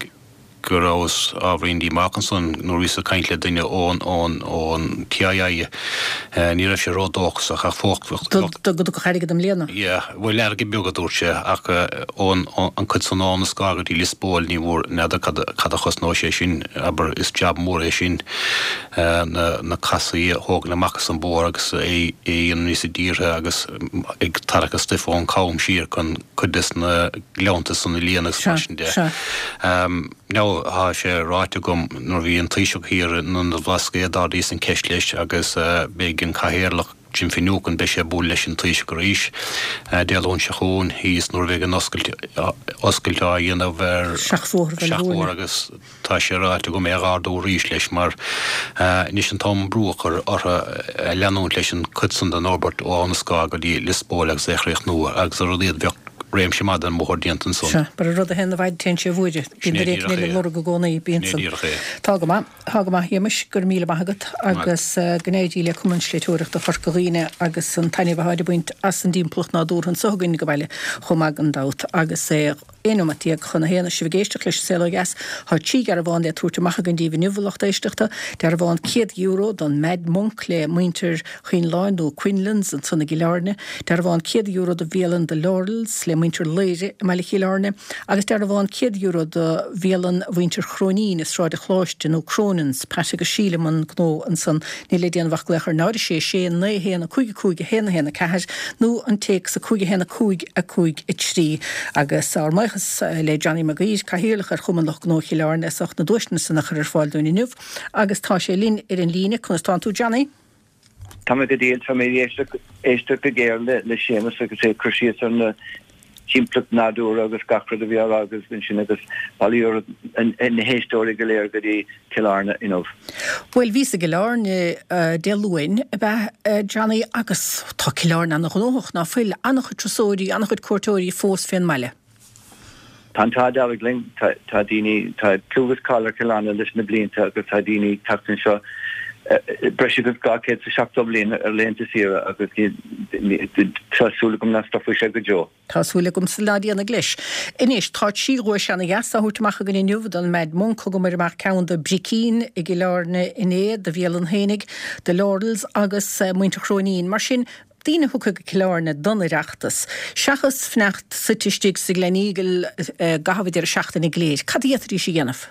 [SPEAKER 5] go rabhas ábhairín díomách ansan nuair a bhíos ag caint le duine ón ón TII, ní raibh sé ródhóchasach ach
[SPEAKER 1] fós bheadh. Go dtiocfadh airgead i mbliana?
[SPEAKER 5] Yeah, bhuel airgead beag a dúirt sé ach ón an cuid san Abha na Scátha go dtí Lios Póil ní bhfuair n'fheadar cad cad a chosnóidh sé sin, abair is jab mór é sin na na casaí a thógaint amach as an bóthar agus é a dhéanamh níosa dírithe agus ag tarrac an stuif ón cam siar chun cuid des na gleannta san a líonadh agus mar sin de. Now tá sé ráite agam nuair a bhí an Taoiseach thiar in Ionad an Bhlascaoid d'ardaíos an ceist leis agus beidh an Cathaoirleach Jim Finucane beidh sé ag bualadh leis an Taoiseach arís Dé Luain seo chugainn thíos nuair a bheidh an oscailt oscailt á dhéanamh ar
[SPEAKER 1] Seachbhóthar
[SPEAKER 5] agus Tá sé ráite agam é a dh'ardú arís leis mar anois an t-am brú a chur orthu leanúint leis an cuid san den fhorbairt ó Abha na Scátha go dtí Lios Póil agus é a chríochnú agus ar a laghad bheadh réimse maith den mbóthar déanta ansan.
[SPEAKER 1] Sea, mar an rud a théann i bhfaid téann sé i bhfuaire.
[SPEAKER 5] Bíonn
[SPEAKER 1] duine éicint eile ag lorg i gcónaí, bíonn
[SPEAKER 5] san. Sin é díreach é.
[SPEAKER 1] Tá go maith, tá go maith a Shéamais, go raibh míle maith agat agus go n-éirí le Cumann Sléibhteoireachta Chorca Dhuibhne agus an taitneamh atáid ag baint as an dtimpeallacht nádúrtha anso againn ag baile chomh maith gan dabht agus é 11 nóimeat chun a haon is sibh ag éisteacht leis An Saol Ó Dheas. Tá 3 dhearbhán le tabhairt amach againn daoibh inniu, a lucht éisteachta. Dearbhán €100 don Mad Monk le muintir Choinleáin nó Quinlans ansan i gCill Airne. Dearbhán €100 do bhialann The Laurels le muintir Laoire i mbaile Chill Airne. Agus dearbhán €100 do bhialann mhuintir Chróinín i Sráid an Choláiste nó Cronin's, Pat agus Síle i mbun gnó ansan. Níl le déanamh ach glaoch ar 0 6 6 9 1 5 5 1 1 4 nó an téacs 5 1 5 5 3. Agus ár mbuíochas le Johnny Mac Uidhir, Cathaoirleach ar Chumann Lucht Gnó Chill Airne as ucht na duaiseanna san a chur ar fáil dúinn inniu. Agus tá sé linn ar an líne. Conas tánn tú Johnny?
[SPEAKER 6] Tá mé go diail, tá mé ag éisteacht go géar le Séamus agus é ag cur síos ar na timpeallacht nádúrtha agus gach rud a bhí á rá agat ansin agus bailíodh na héisteoirí go léir go dtí Cill Airne inniu.
[SPEAKER 1] Bhuel, bhíos i gCill Airne Dé Luain, ab ea, Johnny, agus tá Cill Airne ana-ghnóthach, ná fuil? An-chuid turasóirí, an-chuid cuairteoirí fós fén mbaile.
[SPEAKER 6] Tá an t-ádh dearg linn, tá daoine, tá clú agus cáil ar Chill Airne leis na blianta agus tá daoine ag teacht anseo breis agus 270 bliain ar laethanta saoire agus tá súil agam nach stopfaidh sé go deo.
[SPEAKER 1] Tá súil agamsa ná déanfaidh leis. Anois, tá 3 dhuais ana-dheas á thabhairt amach againn inniu don Mad Monk, thugamar amach ceann do Bricín i gCill Airne inné, do bhialann fhéinig, The Laurels agus muintir Chróinín. Mar sin, daoine a thiocfaidh go Cill Airne don Oireachtas, seachas fanacht suite istigh sa Gleneagle i gcaitheamh an deireadh seachtaine go léir, cad a d'fhéadfaidís a dhéanamh?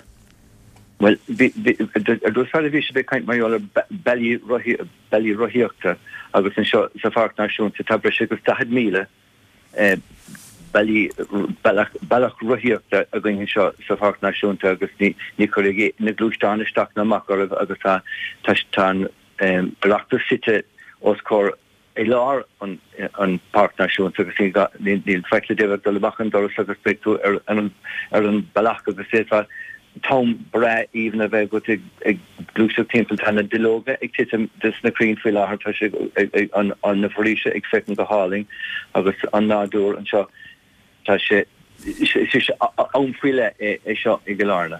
[SPEAKER 6] Bhuel, ar dtús báire bhí sibh ag caint mar gheall ar bealaí bealaí rothaíochta agus anseo sa Pháirc Náisiúnta tá breis agus 40,000 bealaí bealach bealach rothaíochta againn anseo sa Pháirc Náisiúnta agus ní ní chuirfidh na gluaisteáin isteach ná amach oraibh agus tá tá tá an Oireachtas suite os comhair i lár an Pháirc Náisiúnta agus níl faic le déanamh ach dul amach an doras agus beidh tú ar an ar an bealach agus d'fhéadfá. t-am breá aoibhinn a bheith agat ag gluaiseacht timpeall. Tá na duilleoga ag titim des na crainn faoi láthair, tá sé an na foraoise ag féachaint go hálainn agus an nádúr anseo, tá sé is am faoi leith é seo i gCill Airne.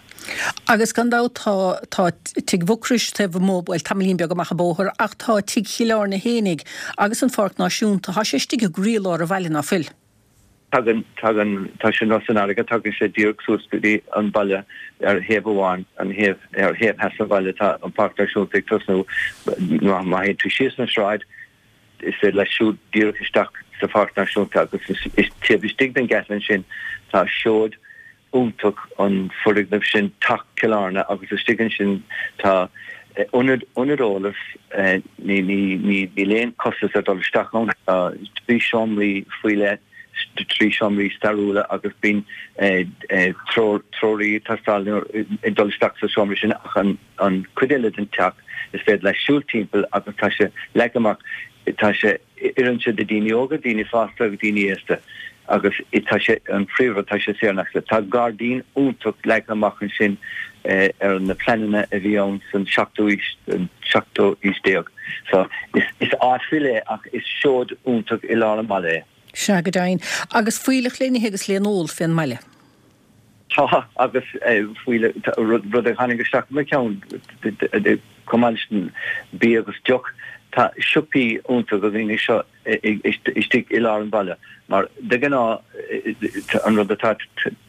[SPEAKER 1] Agus gan dabht tá tá Tigh Mhucrois taobh amuigh, bhuel tamaillín beag amach an bóthar, ach tá Tigh Chill Airne fhéinig agus an Pháirc Náisiúnta, tá sé istigh i gcroílár an bhaile, ná fuil?
[SPEAKER 6] Tagann, tagann, tá sé ar nós an fharraige, tagann sé díreach suas go dtí an baile ar thaobh amháin, an thaobh, ar thaobh theas an bhaile tá an Pháirc Náisiúnta ag tosnú, má théann tú síos an sráid, is féidir leat siúl díreach isteach sa Pháirc Náisiúnta agus is taobh istigh den gheata ansin tá seoid iontach an foirgneamh sin, Teach Chill Airne, agus istigh ansin tá ionad, ionad eolais, ní, ní, ní, níl aon chostas ar dul isteach ann, tá trí seomraí faoi leith, trí seomraí stairiúla agus bíonn treoir, treoraí ag teastáil nuair ag dul isteach sa seomra sin ach an, an chuid eile den teach is féidir leat siúl timpeall agus tá sé leagtha amach, tá sé. Oireann sé do daoine óga, daoine fásta agus daoine aosta agus tá sé, an príomhrud, tá sé saor in aisce. Tá gairdín iontach leagtha amach ansin ar na pleananna a bhí ann san seachtú aois, an seachtú aois déag. So is áit faoi leith ach is seoid iontach i lár an bhaile é.
[SPEAKER 1] Sea, go deimhin. Agus fuílleach le n-ithe agus le n-ól fén mbaile.
[SPEAKER 6] Tá, agus faoi rud a tháinig isteach i mo cheann, chomh maith leis an bia agus deoch, tá siopaí iontacha againn anseo istigh i lár an bhaile, mar de ghnáth an rud atá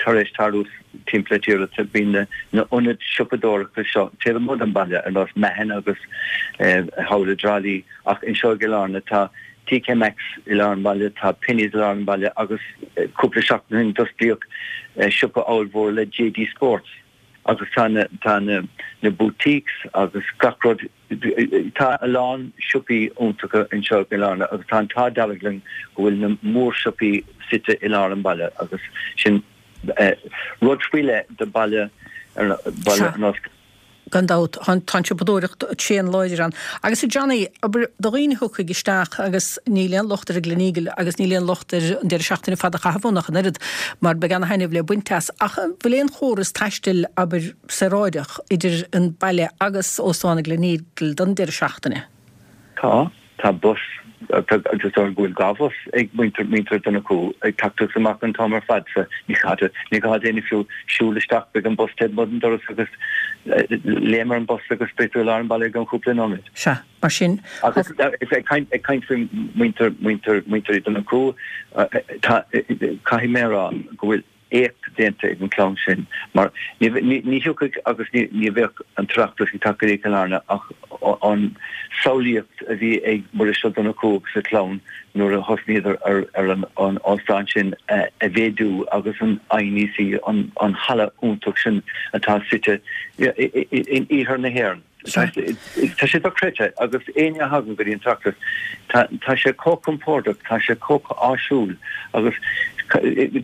[SPEAKER 6] tar éis tarlú timpeall na tíre, bíonn na hionaid siopadóireachta seo taobh amuigh den bhaile, ar nós Mahon agus thall i dTrá Lí, ach anseo i gCill Airne tá TK Maxx i lár an bhaile, tá Penneys i lár an bhaile agus cúpla seachtain ó shin d'osclaíodh siopa ollmhór le JD Sports agus tá na tá na na boutiques agus gach rud tá a lán siopaí iontacha anseo i gCill Airne agus tá an t-ádh dearg linn go bhfuil na mórshiopaí suite i lár an bhaile agus sin rud faoi leith do bhaile baile ar nós
[SPEAKER 1] Gan dabht, tá an tsiopadóireacht tréan láidir ann. Agus a Johnny, abair, do dhaoine a thiocfaidh isteach agus níl aon locht ar an Gleneagle agus níl aon locht ar an deireadh seachtaine fada a chaitheamh ann ach an oiread, mar beidh ana-thaitneamh le baint as. Ach an bhfuil aon chóras taistil, abair, saoráideach idir an baile agus Óstán an Gleneagle don deireadh seachtaine?
[SPEAKER 6] Tá. Tá bus, is dóigh go bhfuil 2 bhus ag muintir, muintir Dhonnchú ag teacht agus amach an t-am ar fad so ní gá do, ní gá d'éinne fiú siúl isteach, beidh an bus taobh amuigh den doras agus léim ar an bus agus beidh tú i lár an bhaile i gceann cúpla nóiméad.
[SPEAKER 1] Sea, mar sin.
[SPEAKER 6] Agus ag caint, ag caint faoi muintir, muintir, muintir Dhonnchú, tá, caithfidh mé a rá go bhfuil, éacht déanta ag an chlann sin mar ní thiocfadh agus ní bheadh an tOireachtas ag teacht go dtí Cill Airne ach an samhlaíocht a bhí ag Muiris Ó Donnchú agus a chlann nuair a thosnaíodar ar an óstán sin a mhéadú agus an INEC, an halla iontach sin atá suite in iarthar na hÉireann. Tá sé dochreidte agus éinne a thagann go dtí an tOireachtas, tá sé chomh compordach, tá sé chomh áisiúil agus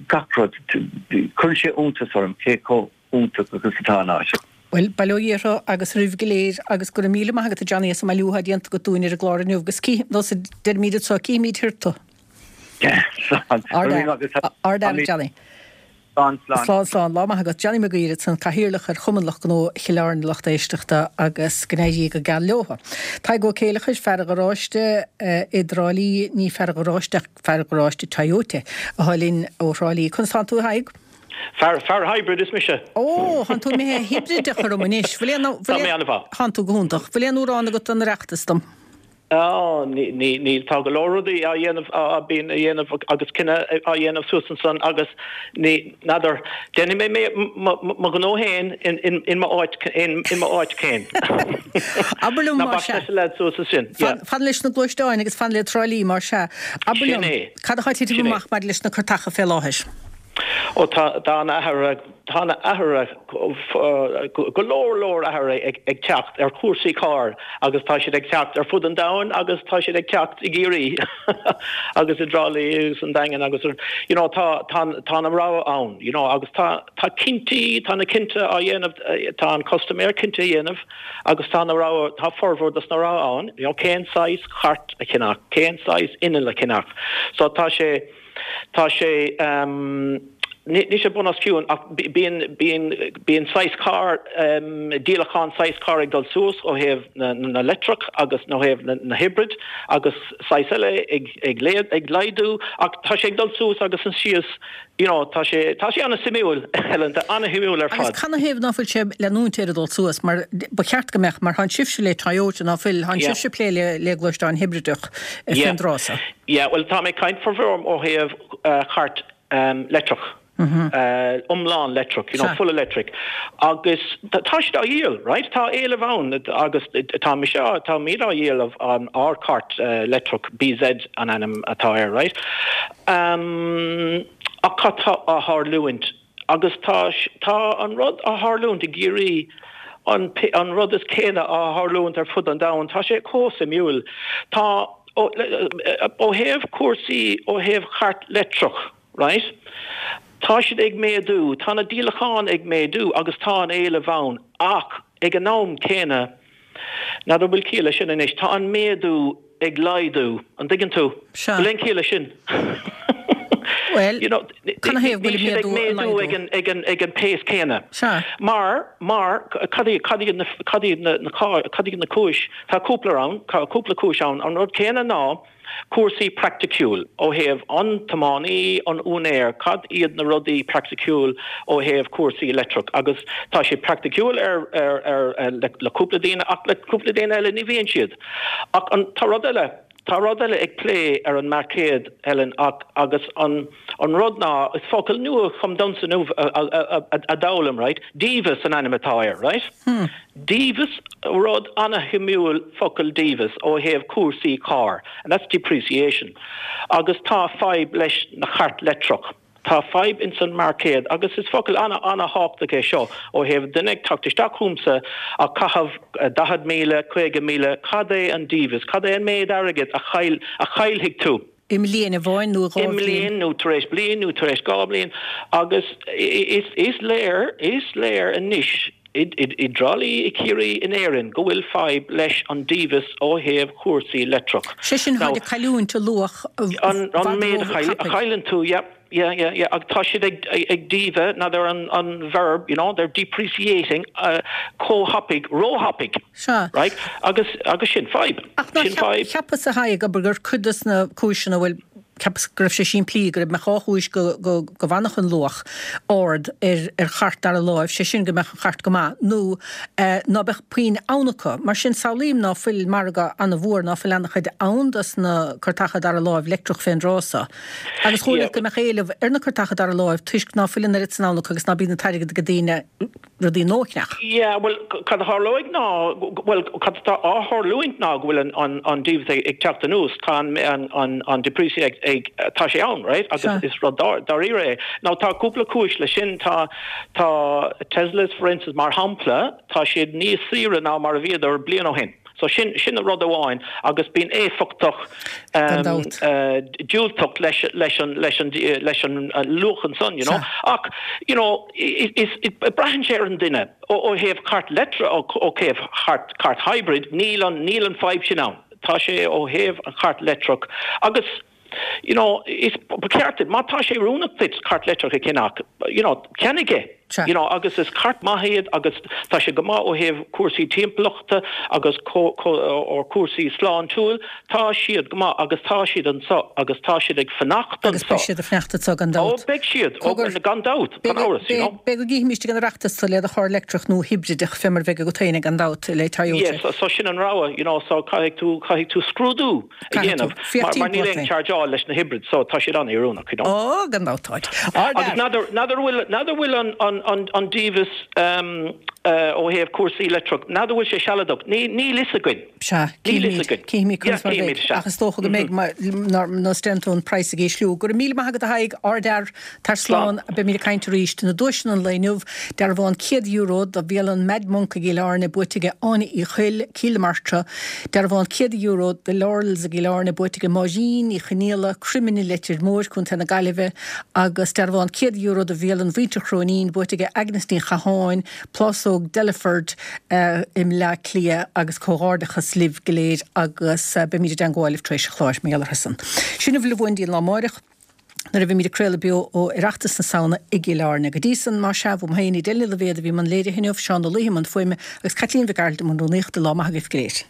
[SPEAKER 6] gach rud, cuireann sé iontas orm cé chomh iontach agus atá an áit.
[SPEAKER 1] Bhuel, bail ó Dhia orthu agus oraibh go léir agus go raibh míle maith agat a Johnny as an mbailiú atá déanta agat dúinn ar an gclár inniu agus cí, nós a deirimid anseo, cífimid thiar tú.
[SPEAKER 6] Slán.
[SPEAKER 1] Ard-fhear, Johnny.
[SPEAKER 6] Slán, slán.
[SPEAKER 1] Slán, slán. Lá maith agat. Johnny Mac Gaoir ansan, Cathaoirleach ar Chumann Lucht Gnó Chill Airne, lucht éisteachta agus go n-éirí go geal leotha. Tadhg Ó Céileachair, fear an gharáiste i dTrá Lí, ní fear an gharáiste ach fear gharáiste Toyota atá linn ó Thrá Lí. Conas tánn tú a Thaidhg?
[SPEAKER 7] Fear, fear hybrid is mise.
[SPEAKER 1] Ó, thánn tú imithe hibrideach orm anois. Bhfuil aon,
[SPEAKER 7] Tá mé an-mhaith.
[SPEAKER 1] Thánn tú go hiontach. Bhfuil aon amhrán agat don Oireachtas dom?
[SPEAKER 7] Á, níl, tá go leor rudaí á dhéanamh, á bíonn á dhéanamh agus cinneadh á dhéanamh suas ansan agus ní, n'fheadar, déanfaidh mé mé, mo, mo ghnó féin in, in, in mo áit, in, in mo áit féin.
[SPEAKER 1] Abair liom
[SPEAKER 7] Ná
[SPEAKER 1] mar
[SPEAKER 7] bac
[SPEAKER 1] sea.
[SPEAKER 7] leis na leaids suas ansin, yeah.
[SPEAKER 1] Fan, fan leis na gluaisteáin agus fan le Trá Lí mar sea. Abair
[SPEAKER 7] Sin
[SPEAKER 1] liom,
[SPEAKER 7] é.
[SPEAKER 1] cad atá ag titim
[SPEAKER 7] Sin é.
[SPEAKER 1] amach maidir leis na cairteacha fé láthair?
[SPEAKER 7] Ó tá, tá an-athrú, tá an-athrú, go leor leor athruithe ag teacht ar chúrsaí cairr agus tá siad ag teacht ar fud an domhain agus tá siad ag teacht i gCiarraí agus i dTrá Lí agus an Daingean agus you know tá tá tá an rogha ann you know agus tá tá cinntí tá na cinnte á dhéanamh tá an custaiméir cinnte a dhéanamh agus tá na rogha tá formhór dos na rogha ann you know cén saghas cairt a cheannach cén saghas inneall a cheannach so tá sé Tá sé. Níl sé bun os cionn ach bíonn, bíonn, bíonn saghas carr, díolachán saghas carr ag dul suas ó thaobh na, na leictreach agus ó thaobh na, na hybrid agus saghas eile ag, ag, ag laghdú ach tá sé ag dul suas agus síos, you know, tá sé, tá sé ana-suimiúil, Helen, tá ana-shuimiúil ar fad.
[SPEAKER 1] Agus canathaobh ná fuil sé leanúint air ag dul suas mar ba cheart go mbeadh, mar thánn sibhse le Toyota ná fuil, thánn sibhse ag plé le, le gluaisteáin hibrideach fén dtráth so.
[SPEAKER 7] Yeah, bhuel tá mé ag caint formhór ó thaobh chairt leictreach, iomlán leictreach, you know, full electric. Agus tá siad á dhíol, right? Tá éileamh ann agus tá mise, táimid á dhíol an ár cairt leictreach, BZ an ainm atá air, right? Ach cad tá á tharlúint? Agus tá, tá an rud á tharlúint i gCiarraí, an, an rud is céanna á tharlúint ar fud an domhain. Tá sé chomh suimiúil. Tá, ó, ó thaobh cúrsaí, ó thaobh chairt leictreach, right, tá siad ag méadú, tá na díolacháin ag méadú agus tá an éileamh ann ach ag an am céanna, N'fheadar an bhfuil ciall leis sin anois. Tá an méadú ag laghdú, an dtuigeann tú?
[SPEAKER 1] Sea.
[SPEAKER 7] Bhfuil aon chiall leis sin?
[SPEAKER 1] Bhuel,
[SPEAKER 7] You know,
[SPEAKER 1] canathaobh go
[SPEAKER 7] níl
[SPEAKER 1] bhfuil
[SPEAKER 7] siad
[SPEAKER 1] an
[SPEAKER 7] ag
[SPEAKER 1] méadú ag
[SPEAKER 7] méadú
[SPEAKER 1] laghdú?
[SPEAKER 7] ag an, ag an, ag an pace céanna.
[SPEAKER 1] Sea.
[SPEAKER 7] Mar, mar, cad iad, cad iad na, cad iad na, na, cad iad na cúis, tá cúpla ann, cúpla cúis ann. An rud céanna ná, Cúrsaí praiticiúil ó thaobh an tiománaí, an úinéir, cad iad na rudaí praiticiúil ó thaobh cúrsaí leictreach agus tá siad praiticiúil ar ar ar le cúpla daoine ach le cúpla daoine eile ní bhíonn siad. Ach an tá rud eile, tá rud eile ag plé ar an marcéad Helen ach agus an an rud ná is focal nua chum domsa inniu a d'fhoghlaim right, dímheas an ainm atá air right? Dímheas, rud ana-shuimiúil focal dímheas ó thaobh cúrsaí carr, and that's depreciation. Agus tá fadhb leis na chairt leictreach. Tá fadhb ins an marcéad agus is focal ana ana-thábhachtach é seo ó thaobh duine ag teacht isteach chugamsa ag caitheamh 40,000, 50,000, cad é an dímheas, cad é an méid airgid a chaill, a chaillfidh tú?
[SPEAKER 1] I mbliain amháin nó i
[SPEAKER 7] 2 bhliain. I mbliain nó tar éis bliain nó tar éis 2 bhliain agus is léir, is léir anois i dTrá Lí, i Ciarraí, in Éirinn go bhfuil fadhb leis an dímheas ó thaobh chúrsaí leictreach.
[SPEAKER 1] Sé sin, táid ag cailliúint a luach
[SPEAKER 7] i bhfad An méid a chailleann tú, yeah, yeah, yeah, yeah, agus tá siad ag ag dímhe, n'fheadar an an verb, you know, they're depreciating chomh thapaidh, róthapaidh.
[SPEAKER 1] Sea.
[SPEAKER 7] Right? Agus agus sin fadhb.
[SPEAKER 1] Ach ná
[SPEAKER 7] Sin fadhb.
[SPEAKER 1] cheapas a Thaidhg, abair, gur cuid des na cúiseanna, bhuel, cheapas go raibh sé simplí, go raibh mbeadh 2 chúis go, go, go bhfanfadh an luach ard ar, ar chairt dara láimh, sé sin go mbeadh an chairt go maith, nó eh, ná beadh puinn ann acu. Mar sin, samhlaím ná fuil margadh ana-mhór, ná fuil ana-chuid ann dos na cairteacha dara láimh leictreach fén dtráth so. Agus chomh
[SPEAKER 7] Yeah.
[SPEAKER 1] go mbeadh éileamh ar na cairteacha dara láimh toisc ná fuil an oiread san ann acu agus ná bíonn an t-airgead ag daoine rudaí nua a cheannach.
[SPEAKER 7] Yeah, bhuel, cad a tharlóidh ná, bhuel, cad atá á tharlúint ná go bhfuil an, an, an dímheas ag, ag teacht anuas, tá an, an, an, an depreciation ag, ag, tá sé ann, right, agus
[SPEAKER 1] Sea.
[SPEAKER 7] is rud dá, dáiríre é. Now tá cúpla cúis leis sin, tá, tá Teslas, for instance, mar shampla, tá siad níos saoire ná mar a bhíodar bliain ó shin. So sin, sin rud amháin agus bíonn éifeachtacht
[SPEAKER 1] Gan dabht.
[SPEAKER 7] diúltach leis, leis an, leis an, leis an luach ansan, you know.
[SPEAKER 1] Sea.
[SPEAKER 7] Ach, you know, is, braitheann sé ar an duine. Ó, ó thaobh cairt leictreach, ó, ó thaobh chairt, cairt hybrid, níl an, níl an fadhb sin ann. Tá sé ó thaobh an chairt leictreach agus, you know, is, ba cheart duit, má tá sé oiriúnach duit cairt leictreach a cheannach, you know, ceannaigh é.
[SPEAKER 1] Sea.
[SPEAKER 7] You know, agus is cairt maith iad agus tá sé go maith ó thaobh cúrsaí timpeallachta agus ó cúrsaí sláintiúil, tá siad go maith agus tá siad anso agus tá siad ag fanacht
[SPEAKER 1] Agus beidh
[SPEAKER 7] anso.
[SPEAKER 1] siad ag fanacht anso gan
[SPEAKER 7] Ó,
[SPEAKER 1] dabht.
[SPEAKER 7] beidh siad, ó,
[SPEAKER 1] Cogar,
[SPEAKER 7] gan dabht, gan amhras, you know.
[SPEAKER 1] Beidh go gcífimíst ag an Oireachtas tú le do charr leictreach nó hibrideach fé mar a bheidh agat féin gan dabht le Toyota.
[SPEAKER 7] Yes, so, so sin an rogha, you know, so caithfidh tú, caithfidh tú scrúdú. a
[SPEAKER 1] Caithfidh tú
[SPEAKER 7] dhéanamh
[SPEAKER 1] féach
[SPEAKER 7] mar níl
[SPEAKER 1] timpeall
[SPEAKER 7] aon
[SPEAKER 1] ort.
[SPEAKER 7] chargeáil leis na hybrids so tá siad an-oiriúnach, you know.
[SPEAKER 1] Ó, gan dabht táid.
[SPEAKER 7] Agus
[SPEAKER 1] Ard-fhear.
[SPEAKER 7] n'fheadar, n'fheadar bhfuil, n'fheadar bhfuil an, an, an, an dímheas ó thaobh cúrsaí leictreach, n'fheadar bhfuil sé sealadach, ní, níl fhios againn.
[SPEAKER 1] Sea,
[SPEAKER 7] Níl fhios
[SPEAKER 1] cífimid,
[SPEAKER 7] againn.
[SPEAKER 1] cífimid
[SPEAKER 7] Yeah,
[SPEAKER 1] conas mar a
[SPEAKER 7] cífimid,
[SPEAKER 1] bheidh,
[SPEAKER 7] sea.
[SPEAKER 1] ach is dócha go mbeidh, nós déanann tú an praghas ag ísliú. Go raibh míle maith agat a Thaidhg, ard-fhear, tar
[SPEAKER 7] Slán.
[SPEAKER 1] slán, beimid ag caint arís. Na duaiseanna an lae inniu, dearbhán €100 do bhialann Mad Monk i gCill Airne buaite aige Áine Uí Chuill, Cill na Martra, Dearbhán €100 do Laurels i gCill Airne buaite aige Máirín Ní Chonaola, Croiminn an Leitir Móir, Co. na Gaillimhe, agus dearbhán €100 do bhialann Mhuintir Chróinín buaite aige Agnes Ní Chatháin, Plásóg Delaford i mBleá Cliath agus comhghairdeachas libh go léir agus beimid i dteangmháil libh tar éis an chláir mar gheall orthu san. Sin a bhfuil uainn go dtí an lá amáireach. Nuair a bheimid ag craoladh beo ó Oireachtas na Samhna i gCill Airne. Go dtí san, más ea, uaim féin, Edel Ní Loibhéad a bhí i mbun léirithe inniu, Seán Ó Laoithe i mbun fuaime agus Caitlín Mhic Gearailt i mbun rúnaíochta. Lá maith agaibh go léir.